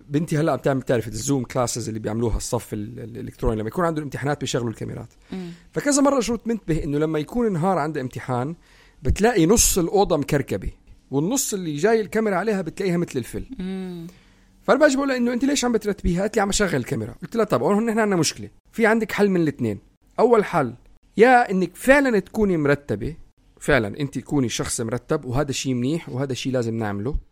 بنتي هلا عم تعمل تعرف الزوم كلاسز اللي بيعملوها الصف الالكتروني لما يكون عندهم امتحانات بيشغلوا الكاميرات. مم. فكذا مره شو منتبه انه لما يكون نهار عنده امتحان بتلاقي نص الاوضه مكركبه والنص اللي جاي الكاميرا عليها بتلاقيها مثل الفل. فانا باجي بقول انه انت ليش عم بترتبيها؟ قالت لي عم اشغل الكاميرا. قلت لها طب هون نحن عندنا مشكله، في عندك حل من الاثنين. اول حل يا انك فعلا تكوني مرتبه، فعلا انت تكوني شخص مرتب وهذا شيء منيح وهذا شيء لازم نعمله،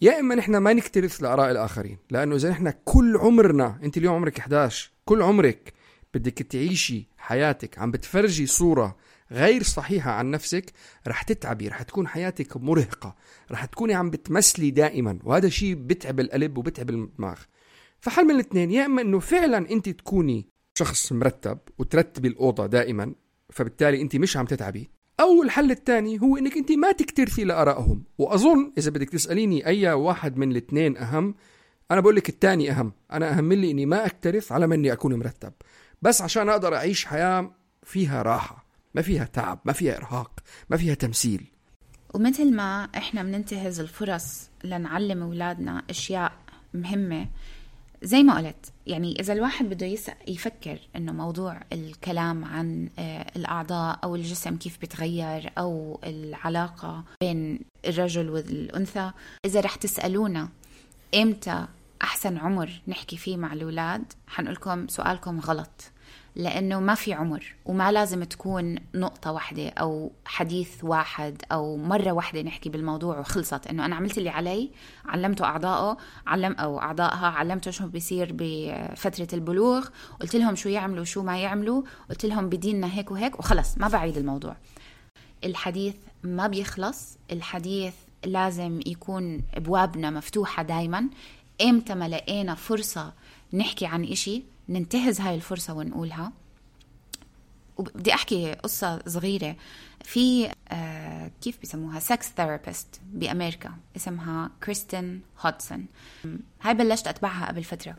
يا إما نحن ما نكترث لآراء الآخرين. لأنه إذا نحن كل عمرنا، أنت اليوم عمرك إحدى عشر، كل عمرك بدك تعيشي حياتك عم بتفرجي صورة غير صحيحة عن نفسك، رح تتعبي، رح تكون حياتك مرهقة، رح تكوني عم بتمثلي دائما، وهذا شيء بتعب القلب وبتعب الدماغ. فحل من الاثنين، يا اما انه فعلا انت تكوني شخص مرتب وترتبي الاوضه دائما فبالتالي انت مش عم تتعبي، او الحل الثاني هو انك انت ما تكترثي لارائهم. واظن اذا بدك تساليني اي واحد من الاثنين اهم، انا بقول لك الثاني اهم. انا اهم لي اني ما اكترث على ما اني اكون مرتب، بس عشان اقدر اعيش حياه فيها راحه، ما فيها تعب، ما فيها ارهاق، ما فيها تمثيل. ومثل ما احنا بننتهز الفرص لنعلم اولادنا اشياء مهمه، زي ما قلت يعني إذا الواحد بده يفكر إنه موضوع الكلام عن الأعضاء أو الجسم كيف بتغير أو العلاقة بين الرجل والأنثى، إذا رح تسألونا إمتى أحسن عمر نحكي فيه مع الأولاد، حنقولكم سؤالكم غلط، لأنه ما في عمر وما لازم تكون نقطة واحدة أو حديث واحد أو مرة واحدة نحكي بالموضوع وخلصت. إنه أنا عملت اللي علي، علمته أعضائه علم أو أعضائها، علمته شو بيصير بفترة البلوغ، قلت لهم شو يعملوا شو ما يعملوا، قلت لهم بديننا هيك وهيك وخلص، ما بعيد الموضوع. الحديث ما بيخلص، الحديث لازم يكون أبوابنا مفتوحة دايما. إمتى ما لقينا فرصة نحكي عن إشي ننتهز هاي الفرصة ونقولها. وبدي أحكي قصة صغيرة. في آه كيف بيسموها سكس ثيرابيست بأمريكا اسمها كريستين هودسون. هاي بلشت أتبعها قبل فترة.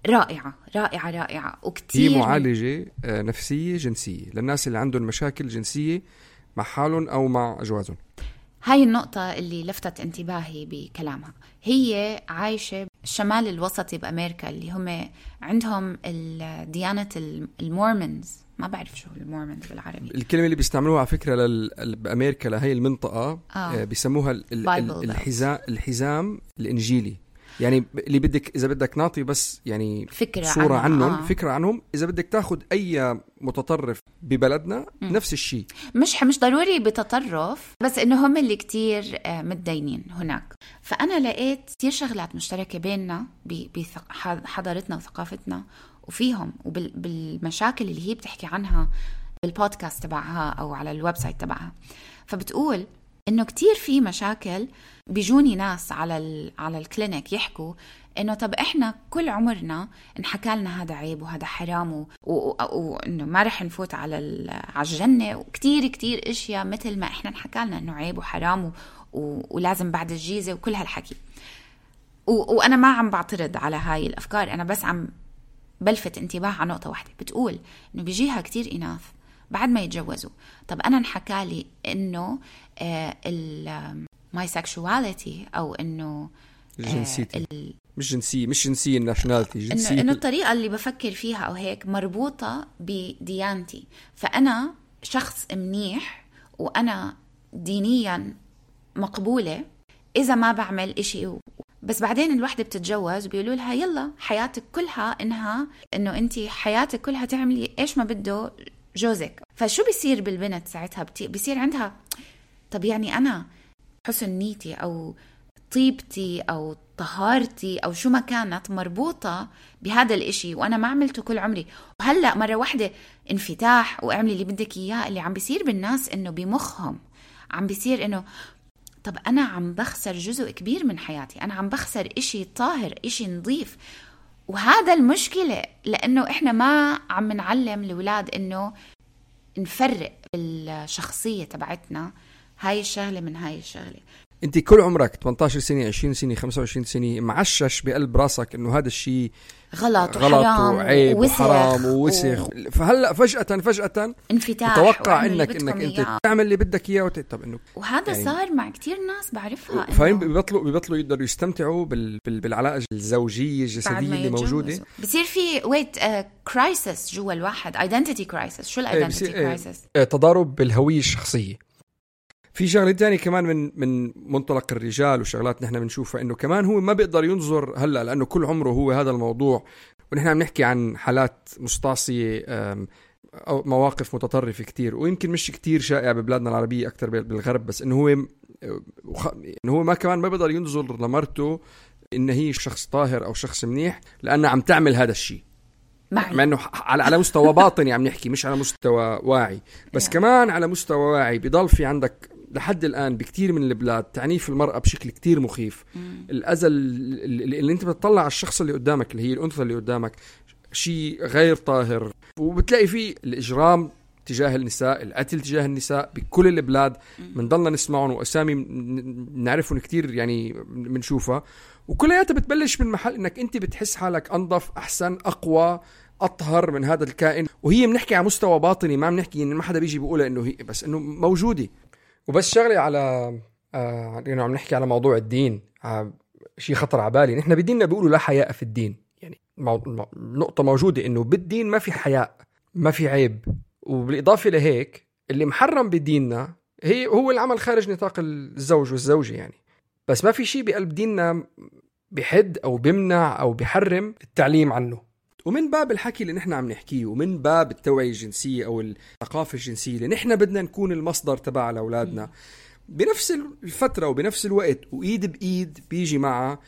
رائعة رائعة رائعة وكتير. هي معالجة آه نفسية جنسية للناس اللي عندهم مشاكل جنسية مع حالهم أو مع أجوازهم. هاي النقطة اللي لفتت انتباهي بكلامها. هي عايشة الشمال الوسطي بأمريكا اللي هم عندهم الديانة المورمونز، ما بعرف شو المورمونز بالعربي. الكلمة اللي بيستعملوها على فكرة لل... بأمريكا لهي المنطقة آه. بيسموها ال... ال... الحزام الحزام الإنجيلي. يعني اللي بدك إذا بدك نعطي بس يعني فكرة صورة عنهم عنهم آه. فكرة عنهم. إذا بدك تاخد أي متطرف ببلدنا م. نفس الشيء، مش مش ضروري بتطرف، بس إنه هم اللي كتير متدينين هناك. فأنا لقيت كتير شغلات مشتركة بيننا بحضارتنا وثقافتنا وفيهم وبالمشاكل اللي هي بتحكي عنها بالبودكاست تبعها أو على الويب سايت تبعها. فبتقول إنه كتير في مشاكل. بيجوني ناس على ال على الكلينيك يحكوا إنه طب إحنا كل عمرنا انحكى لنا هذا عيب وهذا حرام وإنه ما رح نفوت على على الجنة، وكتير كتير إشياء مثل ما إحنا انحكى لنا إنه عيب وحرام ولازم بعد الجيزة وكل هالحكي. وأنا ما عم بعترض على هاي الأفكار، أنا بس عم بلفت انتباه على نقطة واحدة. بتقول إنه بيجيها كتير إناث بعد ما يتجوزوا، طب أنا انحكى لي إنه آه ال my sexuality أو إنه جنسيتي آه مش جنسية مش جنسية nationality جنسية إنه, إنه الطريقة اللي بفكر فيها أو هيك مربوطة بديانتي. فأنا شخص منيح وأنا دينيا مقبولة إذا ما بعمل إشي. بس بعدين الوحدة بتتجوز وبيقولوا لها يلا حياتك كلها إنها إنه أنتي حياتك كلها تعملي إيش ما بده جوزك. فشو بيصير بالبنت ساعتها؟ بيصير عندها طب يعني أنا حسن نيتي أو طيبتي أو طهارتي أو شو ما كانت مربوطة بهذا الإشي وأنا ما عملته كل عمري، وهلأ مرة واحدة انفتاح واعملي اللي بدك إياه. اللي عم بيصير بالناس إنه بمخهم عم بيصير إنه طب أنا عم بخسر جزء كبير من حياتي، أنا عم بخسر إشي طاهر إشي نظيف. وهذا المشكلة لأنه إحنا ما عم نعلم الأولاد إنه نفرق الشخصية تبعتنا هاي الشغلة من هاي الشغلة. انت كل عمرك ثمانية عشر سنة عشرين سنة خمسة وعشرين سنة معشش بقلب راسك انه هذا الشيء غلط, غلط وحرام وعيب ووسخ وحرام ووسخ و... فهلا فجأة فجأة انفتاح تتوقع انك انك انت إياه. تعمل اللي بدك اياه وت... طب انه وهذا يعني صار مع كتير ناس بعرفها. فهم بيبطلوا بيبطلوا يقدروا يستمتعوا بال... بال... بالعلاقة الزوجية الجسدية اللي موجودة. بصير في ويت كرايسس جوا الواحد، ايدنتيتي كرايسس. شو الايدنتيتي كرايسس؟ تضارب بالهوية الشخصية. في شغله تانية كمان من من منطلق الرجال وشغلات نحن بنشوفها انه كمان هو ما بيقدر ينظر هلا لانه كل عمره هو هذا الموضوع، ونحن عم نحكي عن حالات مستعصيه او مواقف متطرفه كتير، ويمكن مش كتير شائع ببلادنا العربيه اكثر بالغرب، بس انه هو انه هو ما كمان ما بيقدر ينظر لمرته ان هي شخص طاهر او شخص منيح لانه عم تعمل هذا الشيء، مع انه على على مستوى باطني عم نحكي مش على مستوى واعي، بس yeah. كمان على مستوى واعي بيضل في عندك لحد الآن بكتير من البلاد تعنيف المرأة بشكل كتير مخيف. مم. الأذى اللي, اللي انت بتطلع على الشخص اللي قدامك اللي هي الأنثى اللي قدامك شيء غير طاهر، وبتلاقي فيه الإجرام تجاه النساء، القتل تجاه النساء بكل البلاد بنضلنا نسمعهم وأسامي نعرفهم كتير يعني بنشوفها، وكلياتها بتبلش من محل انك انت بتحس حالك انظف احسن اقوى اطهر من هذا الكائن، وهي بنحكي على مستوى باطني، ما بنحكي ان ما حدا بيجي بيقولها انه هي بس انه موجوده. وبس شغله على آه يعني عم نحكي على موضوع الدين، آه شيء خطر على بالي. نحن بديننا بيقولوا لا حياء في الدين، يعني مو... نقطه موجوده انه بالدين ما في حياء ما في عيب. وبالاضافه لهيك اللي محرم بديننا هي هو العمل خارج نطاق الزوج والزوجه يعني، بس ما في شيء بقلب ديننا بحد أو بمنع أو بحرم التعليم عنه. ومن باب الحكي اللي نحن عم نحكيه ومن باب التوعية الجنسية أو الثقافة الجنسية اللي نحن بدنا نكون المصدر تبع لأولادنا بنفس الفترة وبنفس الوقت، وإيد بإيد بيجي مع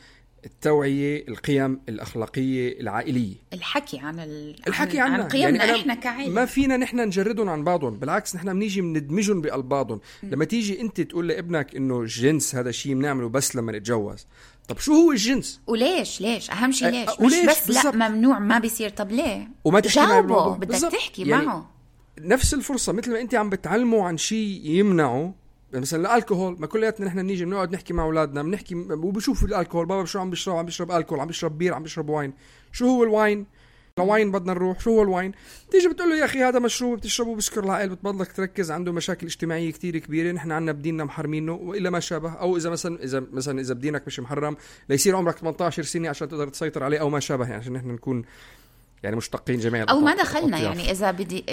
التوعية القيم الأخلاقية العائلية، الحكي عن ال... الحكي عن, عن قيمنا يعني إحنا كعائلة. ما فينا نحن نجردهم عن بعضهم، بالعكس نحن بنيجي بندمجهم بقلب بعضهم. لما تيجي أنت تقول لابنك إنه الجنس هذا شيء بنعمله بس لما نتجوز، طب شو هو الجنس؟ وليش ليش أهم شيء ليش؟ أه مش وليش بس بالزبط. لا ممنوع ما بيصير، طب ليه؟ وما تحكي جاوبه، بدك تحكي يعني معه نفس الفرصة. مثل ما أنت عم بتعلمه عن شيء يمنعه، مثلا الكحول، ما كلياتنا نحن نيجي بنقعد نحكي مع اولادنا بنحكي وبشوفوا الكحول، بابا شو عم بيشرب، عم بيشرب الكحول، عم بيشرب بير، عم بيشرب واين، شو هو الواين؟ الواين بدنا نروح، شو هو الواين؟ تيجي بتقول له يا اخي هذا مشروب بتشربه بسكر العقل، بتبضلك تركز، عنده مشاكل اجتماعيه كتير كبيره، نحن عنا بديننا محرمينه والا ما شابه، او اذا مثلا اذا مثلا اذا بدينك مش محرم ليصير عمرك ثمانية عشر سنه عشان تقدر تسيطر عليه او ما شابه، يعني عشان نحن نكون يعني مشتقين جميعا او ما دخلنا يعني اذا بدي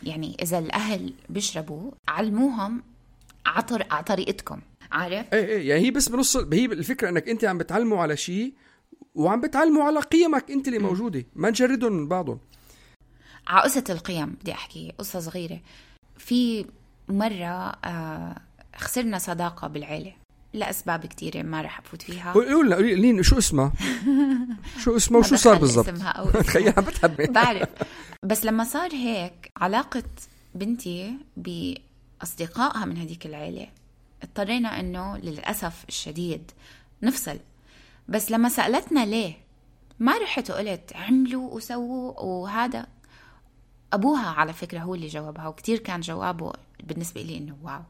يعني اذا الاهل بيشربوا علموهم عطر على طريقتكم، عارف؟ ايه ايه يعني هي بس بنص، هي الفكره انك انت عم بتعلموا على شيء وعم بتعلموا على قيمك انت اللي موجوده، ما نجردهم من بعضهم. على قصه القيم بدي احكي قصه صغيره. في مره آه خسرنا صداقه بالعيله لاسباب كتيره ما رح افوت فيها. قولوا لنا قولي لي شو اسمها؟ شو اسمها وشو صار بالضبط؟ تخيل عم بتحبي. بعرف، بس لما صار هيك علاقه بنتي ب أصدقائها من هذيك العيلة اضطرينا أنه للأسف الشديد نفصل. بس لما سألتنا ليه ما رحت وقلت عملوا وسووا، وهذا أبوها على فكرة هو اللي جاوبها، وكتير كان جوابه بالنسبة لي أنه واو.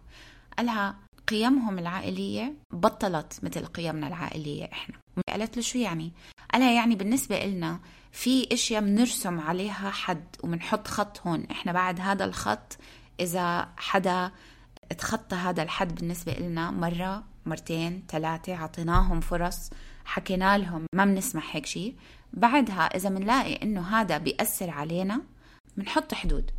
قالها قيمهم العائلية بطلت مثل قيمنا العائلية إحنا. قالت له شو يعني؟ قالها يعني بالنسبة لنا في إشياء منرسم عليها حد ومنحط خط هون، إحنا بعد هذا الخط إذا حدا اتخطى هذا الحد بالنسبة لنا مرة مرتين ثلاثة عطيناهم فرص، حكينا لهم ما بنسمح هيك شيء، بعدها إذا منلاقي إنه هذا بيأثر علينا منحط حدود.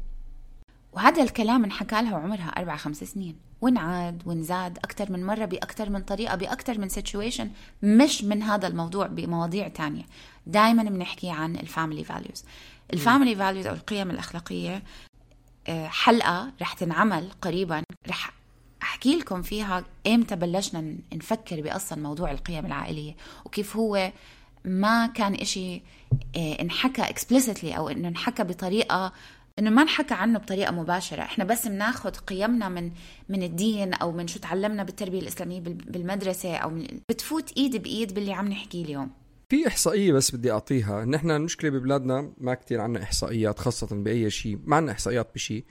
وهذا الكلام انحكى لها وعمرها أربع خمس سنين، ونعاد ونزاد أكتر من مرة بأكتر من طريقة بأكتر من سيتويشن، مش من هذا الموضوع بمواضيع تانية. دايما بنحكي عن الفاميلي فاليوز. الفاميلي فاليوز أو القيم الأخلاقية حلقة رح تنعمل قريبا، رح أحكي لكم فيها إمتى بلشنا نفكر بأصلا موضوع القيم العائلية، وكيف هو ما كان إشي انحكى explicitly أو إنه انحكى بطريقة، إنه ما نحكى عنه بطريقة مباشرة. إحنا بس بناخد قيمنا من من الدين أو من شو تعلمنا بالتربية الإسلامية بالمدرسة، أو من بتفوت إيد بإيد باللي عم نحكي اليوم. في إحصائية بس بدي أعطيها، نحن المشكلة ببلادنا ما كتير عنا إحصائيات خاصة بأي شيء، ما عنا إحصائيات بشيء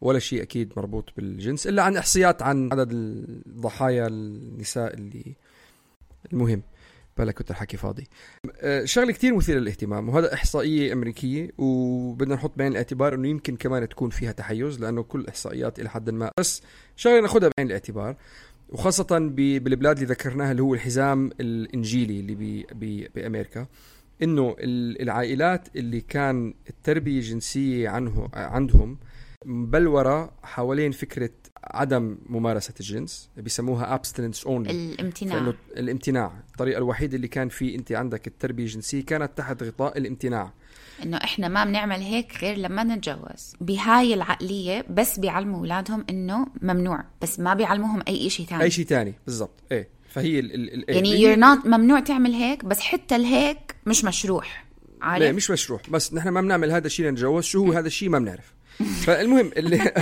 ولا شيء أكيد مربوط بالجنس، إلا عن إحصائيات عن عدد الضحايا النساء اللي المهم بلا كنت الحكي فاضي. شغله كتير مثيره للاهتمام، وهذا إحصائية أمريكية وبدنا نحط بعين الاعتبار إنه يمكن كمان تكون فيها تحيز، لأنه كل إحصائيات إلى حد ما، بس شغله ناخدها بعين الاعتبار، وخاصة بالبلاد اللي ذكرناها اللي هو الحزام الإنجيلي اللي بي بي بأمريكا، إنه العائلات اللي كان التربية الجنسية عنه عندهم بلورة حوالين فكرة عدم ممارسة الجنس، بيسموها abstinence only، الامتناع. الامتناع الطريقة الوحيدة اللي كان في أنت عندك التربية الجنسية كانت تحت غطاء الامتناع، إنه إحنا ما بنعمل هيك غير لما نتجوز. بهاي العقلية بس بيعلموا أولادهم إنه ممنوع، بس ما بيعلموهم أي شيء تاني. أي شيء تاني بالضبط. إيه فهي ال ال يعني you're not ممنوع تعمل هيك، بس حتى الهيك مش مشروع، عارف؟ لا مش مشروع، بس نحن ما بنعمل هذا الشيء لنتجوز، شو هو هذا الشيء ما بنعرف. فالمهم اللي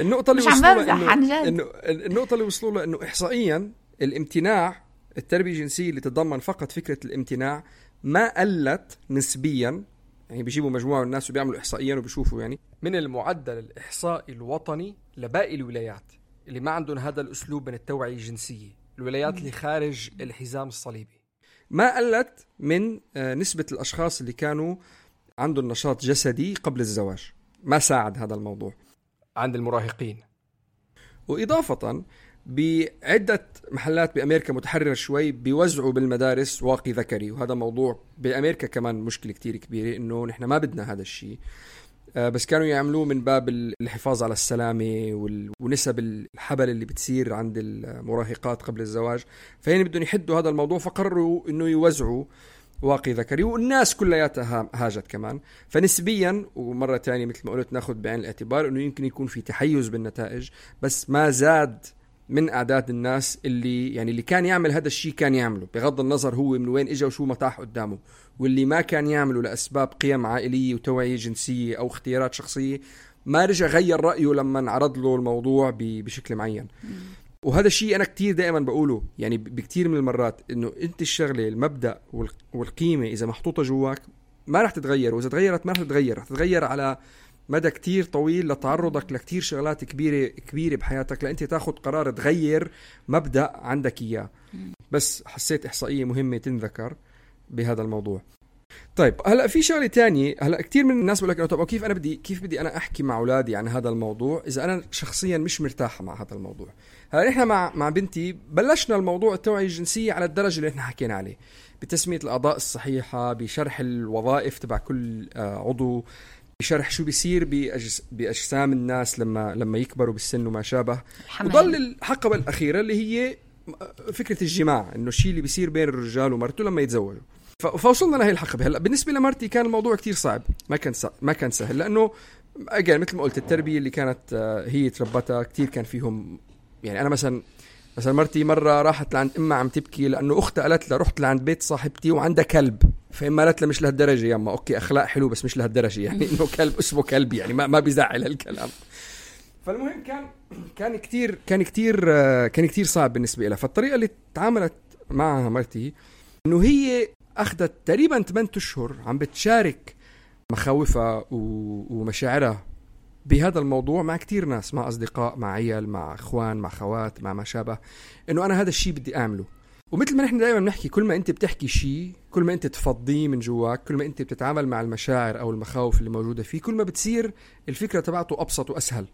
النقطة اللي مش عم وصلوا بمزح إنه عن جد. إنه النقطة اللي وصلوا لها إنه إحصائيا الامتناع التربية الجنسية اللي تتضمن فقط فكرة الامتناع ما قلت نسبيا. يعني بيجيبوا مجموعة من الناس وبيعملوا إحصائيا وبيشوفوا يعني من المعدل الإحصائي الوطني لباقي الولايات اللي ما عندهم هذا الأسلوب من التوعية الجنسية، الولايات اللي خارج الحزام الصليبي، ما قلت من نسبة الأشخاص اللي كانوا عندهم نشاط جسدي قبل الزواج. ما ساعد هذا الموضوع عند المراهقين. وإضافة بعدة محلات بأمريكا متحررة شوي بيوزعوا بالمدارس واقي ذكري، وهذا موضوع بأمريكا كمان مشكلة كتير كبيرة إنه نحن ما بدنا هذا الشيء، بس كانوا يعملوه من باب الحفاظ على السلامة ونسب الحبل اللي بتصير عند المراهقات قبل الزواج. فهين بدهم يحدوا هذا الموضوع، فقرروا إنه يوزعوا واقي ذكري، والناس كلياتها هاجت كمان. فنسبيا ومرة تانية مثل ما قلت ناخد بعين الاعتبار إنه يمكن يكون في تحيز بالنتائج، بس ما زاد من أعداد الناس اللي يعني اللي كان يعمل هذا الشيء كان يعمله بغض النظر هو من وين إجا وشو مطاح قدامه، واللي ما كان يعمله لأسباب قيم عائلية وتوعية جنسية أو اختيارات شخصية ما رجع غير رأيه لما انعرض له الموضوع بشكل معين. وهذا الشيء أنا كتير دائما بقوله يعني بكتير من المرات إنه أنت الشغلة المبدأ والقيمة إذا محطوطة جواك ما رح تتغير، وإذا تغيرت ما رح تتغير، رح تتغير على مدى كتير طويل لتعرضك لكتير شغلات كبيرة كبيرة بحياتك لأنت تاخد قرار تغير مبدأ عندك إياه. بس حسيت إحصائية مهمة تنذكر بهذا الموضوع. طيب هلا في شغله تانية. هلا كتير من الناس بقول لك طب كيف انا بدي كيف بدي انا احكي مع اولادي عن هذا الموضوع اذا انا شخصيا مش مرتاحه مع هذا الموضوع. هلا احنا مع مع بنتي بلشنا الموضوع التوعيه الجنسيه على الدرجه اللي احنا حكينا عليه، بتسميه الاعضاء الصحيحه، بشرح الوظائف تبع كل عضو، بشرح شو بيصير بأجس باجسام الناس لما لما يكبروا بالسن وما شابه. وضل الحقبه الاخيره اللي هي فكره الجماع، انه الشيء اللي بيصير بين الرجال ومرته لما يتزوجوا. فوصلنا لهي الحقبة. هلا بالنسبة لمرتي كان الموضوع كتير صعب، ما كان ما كان سهل، لأنه أجل مثل ما قلت التربية اللي كانت هي تربتها كتير كان فيهم. يعني أنا مثلا مثلا مرتي مرة راحت لعند إمها عم تبكي لأنه أختها قالت لها رحت لعند بيت صاحبتي وعندها كلب، فإما قالت لها مش لهالدرجة يا أما أوكي أخلاق حلو بس مش لهالدرجة، يعني إنه كلب اسمه كلب يعني ما ما بيزعل هالكلام. فالمهم كان كان كتير كان كتير كان كتير صعب بالنسبة لها. فالطريقة اللي تعاملت معها مرتي إنه هي أخذت تقريبا ثمانية أشهر عم بتشارك مخاوفها ومشاعرها بهذا الموضوع مع كتير ناس، مع أصدقاء، مع عيال، مع أخوان، مع خوات، مع ما شابه، إنه أنا هذا الشيء بدي أعمله. ومثل ما نحن دائما بنحكي كل ما أنت بتحكي شيء كل ما أنت تفضيه من جواك، كل ما أنت بتتعامل مع المشاعر أو المخاوف اللي موجودة فيه كل ما بتصير الفكرة تبعته أبسط وأسهل.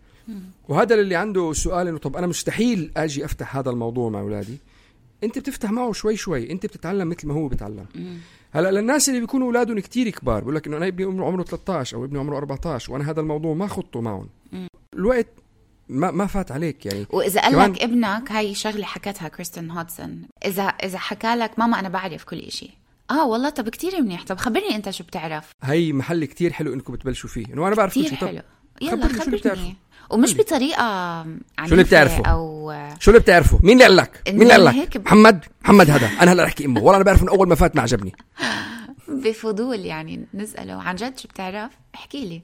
وهذا اللي عنده سؤال إنه طب أنا مستحيل أجي أفتح هذا الموضوع مع أولادي، انت بتفتح معه شوي شوي، انت بتتعلم مثل ما هو بتعلم. هلا للناس اللي بيكونوا اولادهم كتير كبار بقول لك انه انا ابني عمره ثلاثة عشر او ابني عمره أربعة عشر وانا هذا الموضوع ما خطه معهم، الوقت ما ما فات عليك يعني. واذا قال لك ابنك هاي شغله حكتها كريستين هودسون، اذا اذا حكى لك ماما انا بعرف كل إشي، اه والله طب كتير منيح، طب خبرني انت شو بتعرف. هي محل كتير حلو انكم بتبلشوا فيه، انه انا بعرف كل شيء. حلو يلا خبرني، ومش حلو. بطريقه شو اللي بتعرفه او شو اللي بتعرفه مين اللي قال لك مين اللي قال لك محمد محمد هذا انا هلا احكي امه والله انا بعرف من اول ما فات ما عجبني. بفضول يعني نساله عن جد شو بتعرف احكي لي،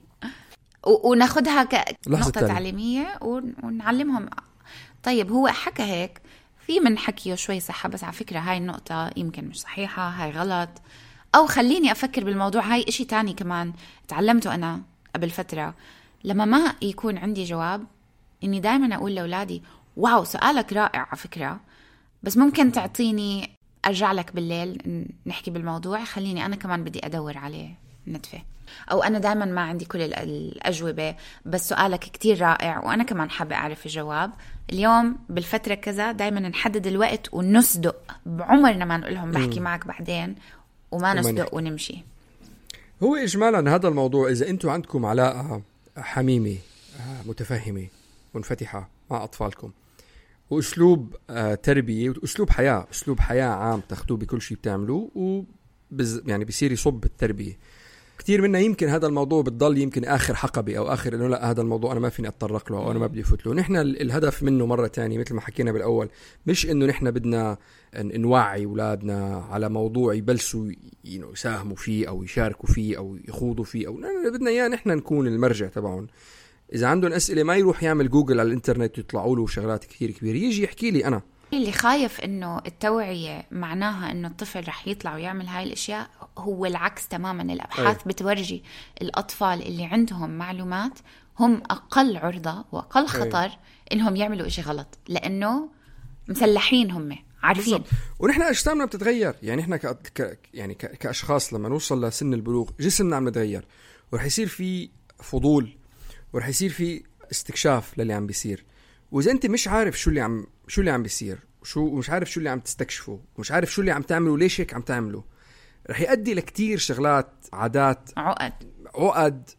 وناخدها كنقطه تعليميه ونعلمهم. طيب هو حكى هيك، في من حكيه شوي صحة، بس على فكرة هاي النقطة يمكن مش صحيحة، هاي غلط، أو خليني أفكر بالموضوع. هاي إشي تاني كمان تعلمته أنا قبل فترة، لما ما يكون عندي جواب إني دايما أقول لأولادي واو سؤالك رائع على فكرة، بس ممكن تعطيني أرجع لك بالليل نحكي بالموضوع، خليني أنا كمان بدي أدور عليه ندفع، أو أنا دايما ما عندي كل الأجوبة بس سؤالك كتير رائع وأنا كمان حابة أعرف الجواب اليوم بالفترة كذا. دايما نحدد الوقت ونصدق، بعمرنا ما نقولهم بحكي م. معك بعدين وما نصدق ونمشي. هو إجمالا هذا الموضوع إذا أنتوا عندكم علاقة حميمة متفهمة منفتحة مع أطفالكم وأسلوب تربية وأسلوب حياة أسلوب حياة عام تاخدوه بكل شيء بتعملوه وبز يعني بيصير يصب التربية. كتير منا يمكن هذا الموضوع بتضل يمكن آخر حقبة أو آخر إنه لا هذا الموضوع أنا ما فيني أتطرق له أو أنا ما بدي أفوت له. نحن الهدف منه مرة تانية مثل ما حكينا بالأول مش إنه نحن بدنا نوعي أولادنا على موضوع يبلسوا يساهموا فيه أو يشاركوا فيه أو يخوضوا فيه، أو بدنا إياه نحن نكون المرجع تبعهم إذا عندهم أسئلة ما يروح يعمل جوجل على الإنترنت يطلعوا له شغلات كثير كبيرة، يجي يحكي لي أنا. اللي خايف إنه التوعية معناها إنه الطفل رح يطلع ويعمل هاي الأشياء، هو العكس تماما. الأبحاث أي. بتورجي الأطفال اللي عندهم معلومات هم أقل عرضة وأقل خطر أي. إنهم يعملوا إشي غلط، لأنه مسلحين، هم عارفين بالضبط. ونحن أجسامنا بتتغير، يعني إحنا ك... ك... يعني ك... كأشخاص لما نوصل لسن البلوغ جسمنا عم يتغير، ورح يصير في فضول، ورح يصير في استكشاف للي عم بيصير. وإذا أنت مش عارف شو اللي عم شو اللي عم بيصير وشو مش عارف شو اللي عم تستكشفه ومش عارف شو اللي عم تعمله ليش هيك عم تعمله، رح يؤدي لكتير شغلات، عادات، عقد عقد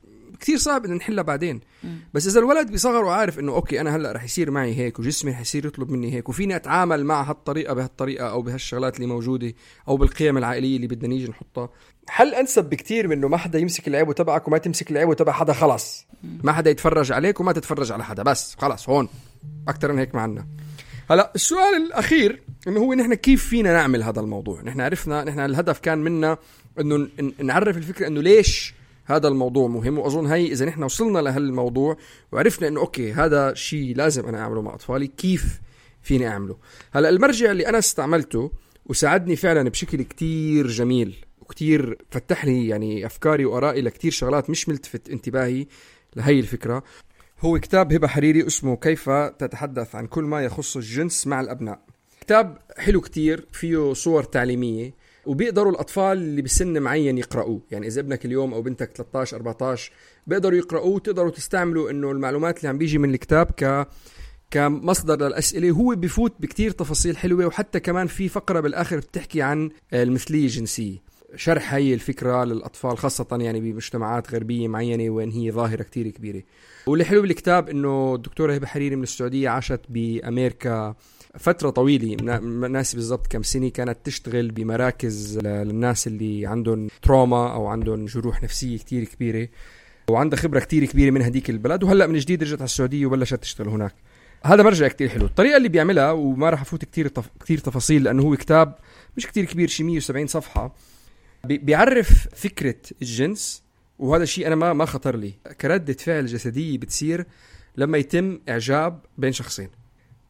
كتير صعب إن نحلها بعدين. م. بس إذا الولد بصغره عارف إنه أوكي أنا هلأ رح يصير معي هيك وجسمي رح يصير يطلب مني هيك وفيني أتعامل مع هالطريقة بهالطريقة أو بهالشغلات اللي موجودة أو بالقيم العائلية اللي بدنا نيجي نحطها، حل أنسب بكتير منه ما حدا يمسك العيب تبعك وما تمسك العيب تبع حدا. خلاص ما حدا يتفرج عليك وما تتفرج على حدا، بس خلاص هون أكتر من هيك معنا. هلا السؤال الأخير إنه هو نحن كيف فينا نعمل هذا الموضوع. نحن عرفنا، نحن الهدف كان منا إنه نعرف الفكرة إنه ليش هذا الموضوع مهم، وأظن هاي إذا نحن وصلنا لهالموضوع وعرفنا إنه أوكي هذا شيء لازم أنا أعمله مع أطفالي، كيف فيني أعمله. هلا المرجع اللي أنا استعملته وساعدني فعلا بشكل كتير جميل وكتير فتح لي يعني أفكاري وآرائي لكتير شغلات مش ملتفت انتباهي لهي الفكرة، هو كتاب هبة حريري اسمه كيف تتحدث عن كل ما يخص الجنس مع الأبناء. كتاب حلو كتير، فيه صور تعليمية وبيقدروا الأطفال اللي بسن معين يقرأوه. يعني إذا ابنك اليوم أو بنتك ثلاثة عشر أربعة عشر بيقدروا يقرأوه، تقدروا تستعملوا إنه المعلومات اللي عم بيجي من الكتاب ك كمصدر للأسئلة. هو بيفوت بكتير تفاصيل حلوة، وحتى كمان في فقرة بالآخر بتحكي عن المثلية الجنسية، شرح هاي الفكرة للأطفال خاصة يعني بمجتمعات غربية معينة وين هي ظاهرة كتير كبيرة. واللي حلو بالكتاب إنه الدكتورة هبة حريري من السعودية عاشت بأمريكا فترة طويلة، ناسي بالضبط كم سنة، كانت تشتغل بمراكز للناس اللي عندهم تروما أو عندهم جروح نفسية كتير كبيرة، وعندها خبرة كتير كبيرة من هديك البلد، وهلأ من جديد رجعت على السعودية وبلشت تشتغل هناك. هذا مرجع كتير حلو. الطريقة اللي بيعملها وما راح أفوت كتير تف... كتير تفاصيل لأنه هو كتاب مش كتير كبير، شي مية وسبعين صفحة، بي... بيعرف فكرة الجنس. وهذا الشيء أنا ما ما خطر لي كردة فعل جسدية بتصير لما يتم إعجاب بين شخصين.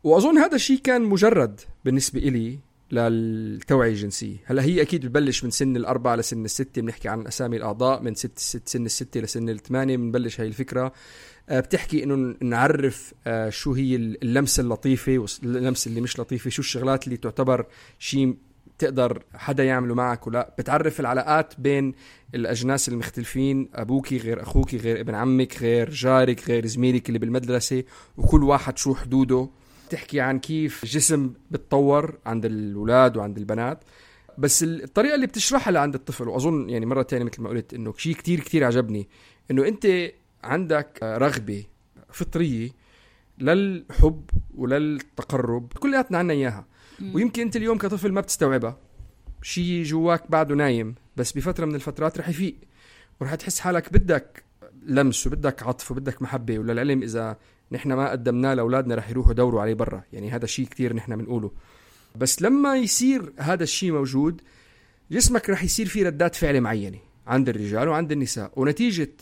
وأظن هذا الشيء كان مجرد بالنسبة إلي للتوعية الجنسية. هلا هي أكيد بتبلش من سن الأربعة لسن الستة، بنحكي عن أسامي الأعضاء، من ست ست سن الستة لسن الثمانية بنبلش هاي الفكرة. بتحكي إنه نعرف شو هي اللمسة اللطيفة واللمسة اللي مش لطيفة، شو الشغلات اللي تعتبر شيء تقدر حدا يعمله معك ولا. بتعرف العلاقات بين الأجناس المختلفين، أبوكي غير أخوكي غير ابن عمك غير جارك غير زميلك اللي بالمدرسة، وكل واحد شو حدوده. تحكي عن كيف الجسم بتطور عند الأولاد وعند البنات، بس الطريقة اللي بتشرحها لعند الطفل. وأظن يعني مرة تانية مثل ما قلت إنه شيء كتير كتير عجبني، إنه أنت عندك رغبة فطرية للحب وللتقرب، كلياتنا عنا إياها، ويمكن أنت اليوم كطفل ما بتستوعبها، شيء جواك بعده نايم، بس بفترة من الفترات رح يفيق ورح تحس حالك بدك لمس وبدك عطف وبدك محبة. وللعلم إذا نحن ما قدمناه لأولادنا رح يروحوا دوروا عليه برا، يعني هذا شيء كتير نحن بنقوله. بس لما يصير هذا الشيء موجود، جسمك رح يصير فيه ردات فعل معينة عند الرجال وعند النساء، ونتيجة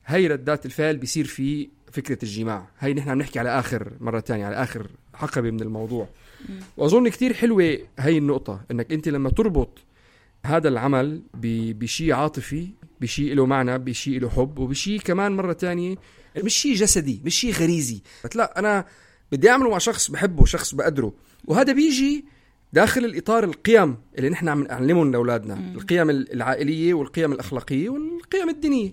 هاي ردات الفعل بيصير في فكرة الجماع. هاي نحن بنحكي على آخر مرة تانية، على آخر حقبة من الموضوع. وأظن كتير حلوة هاي النقطة، إنك أنت لما تربط هذا العمل بشيء عاطفي، بشيء له معنى، بشيء له حب، وبشيء كمان مرة تانية مش شيء جسدي، مش شيء غريزي، لا أنا بدي أعمله مع شخص بحبه، شخص بقدره. وهذا بيجي داخل الإطار القيم اللي نحن عم نعلمهم لأولادنا، القيم العائلية والقيم الأخلاقية والقيم الدينية.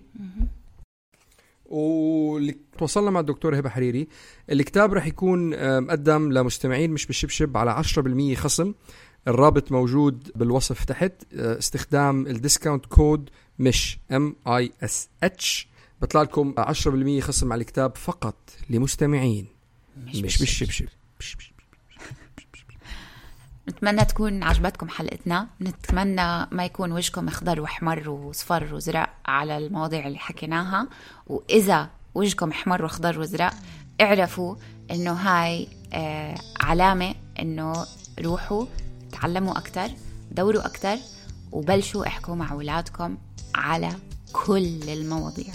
واللي توصلنا مع الدكتور هبة حريري، الكتاب رح يكون مقدم لمستمعين مش بالشبشب على عشرة بالمية خصم. الرابط موجود بالوصف تحت، استخدام الديسكاونت كود مش M I S H بطلع لكم عشرة بالمية خصم على الكتاب فقط لمستمعين مش, مش بالشبشب. نتمنى تكون عجبتكم حلقتنا، نتمنى ما يكون وجهكم اخضر واحمر وصفر وزرق على المواضيع اللي حكيناها. وإذا وجهكم احمر واخضر وزرق اعرفوا انه هاي آه علامة انه روحوا تعلموا أكتر، دوروا أكتر، وبلشوا احكوا مع أولادكم على كل المواضيع.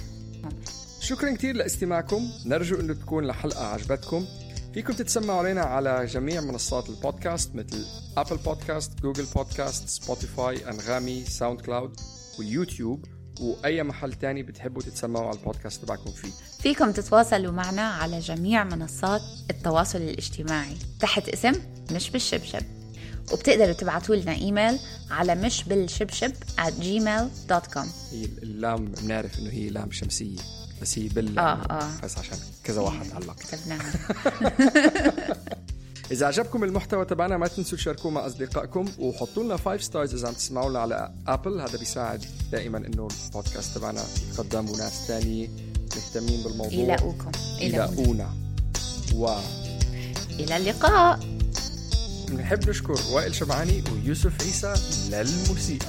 شكرا كتير لاستماعكم. نرجو أنه تكون الحلقة عجبتكم. فيكم تتسمعوا علينا على جميع منصات البودكاست مثل أبل بودكاست، جوجل بودكاست، سبوتيفاي، أنغامي، ساوند كلاود واليوتيوب وأي محل تاني بتحبوا تتسمعوا على البودكاست تبعكم فيه. فيكم تتواصلوا معنا على جميع منصات التواصل الاجتماعي تحت اسم مش بالشبشب، وبتقدروا تبعتوا لنا إيميل على مش بالشبشب at gmail dot com. هي اللام بنعرف إنه هي لام شمسية بس هي بال آه آه. بس عشان كذا واحد علق كتبناها. إذا عجبكم المحتوى تبعنا ما تنسوا تشاركوه مع أصدقائكم وحطوا لنا فايف ستارز إذا عم تسمعوا لنا على أبل. هذا بيساعد دائما إنه البودكاست تبعنا يقدم وناس تانية مهتمين بالموضوع يلاقوكم يلاقونا. و إلى اللقاء. نحب نشكر وائل شبعاني ويوسف عيسى للموسيقى.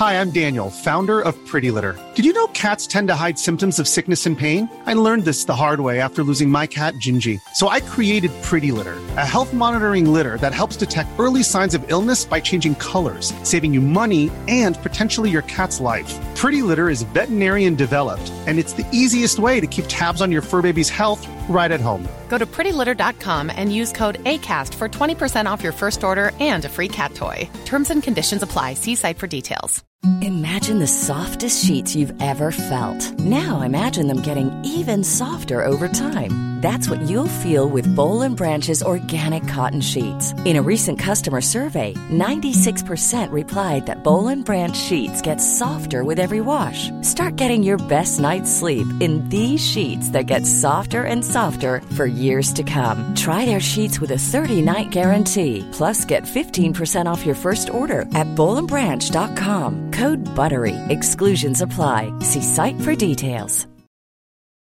Hi, I'm Daniel, founder of Pretty Litter. Did you know cats tend to hide symptoms of sickness and pain? I learned this the hard way after losing my cat, Gingy. So I created Pretty Litter, a health monitoring litter that helps detect early signs of illness by changing colors, saving you money and potentially your cat's life. Pretty Litter is veterinarian developed, and it's the easiest way to keep tabs on your fur baby's health right at home. Go to pretty litter dot com and use code ACAST for twenty percent off your first order and a free cat toy. Terms and conditions apply. See site for details. Imagine the softest sheets you've ever felt. Now imagine them getting even softer over time. That's what you'll feel with Boll and Branch's organic cotton sheets. In a recent customer survey, ninety-six percent replied that Boll and Branch sheets get softer with every wash. Start getting your best night's sleep in these sheets that get softer and softer for years to come. Try their sheets with a thirty-night guarantee. Plus, get fifteen percent off your first order at boll and branch dot com. Code BUTTERY. Exclusions apply. See site for details.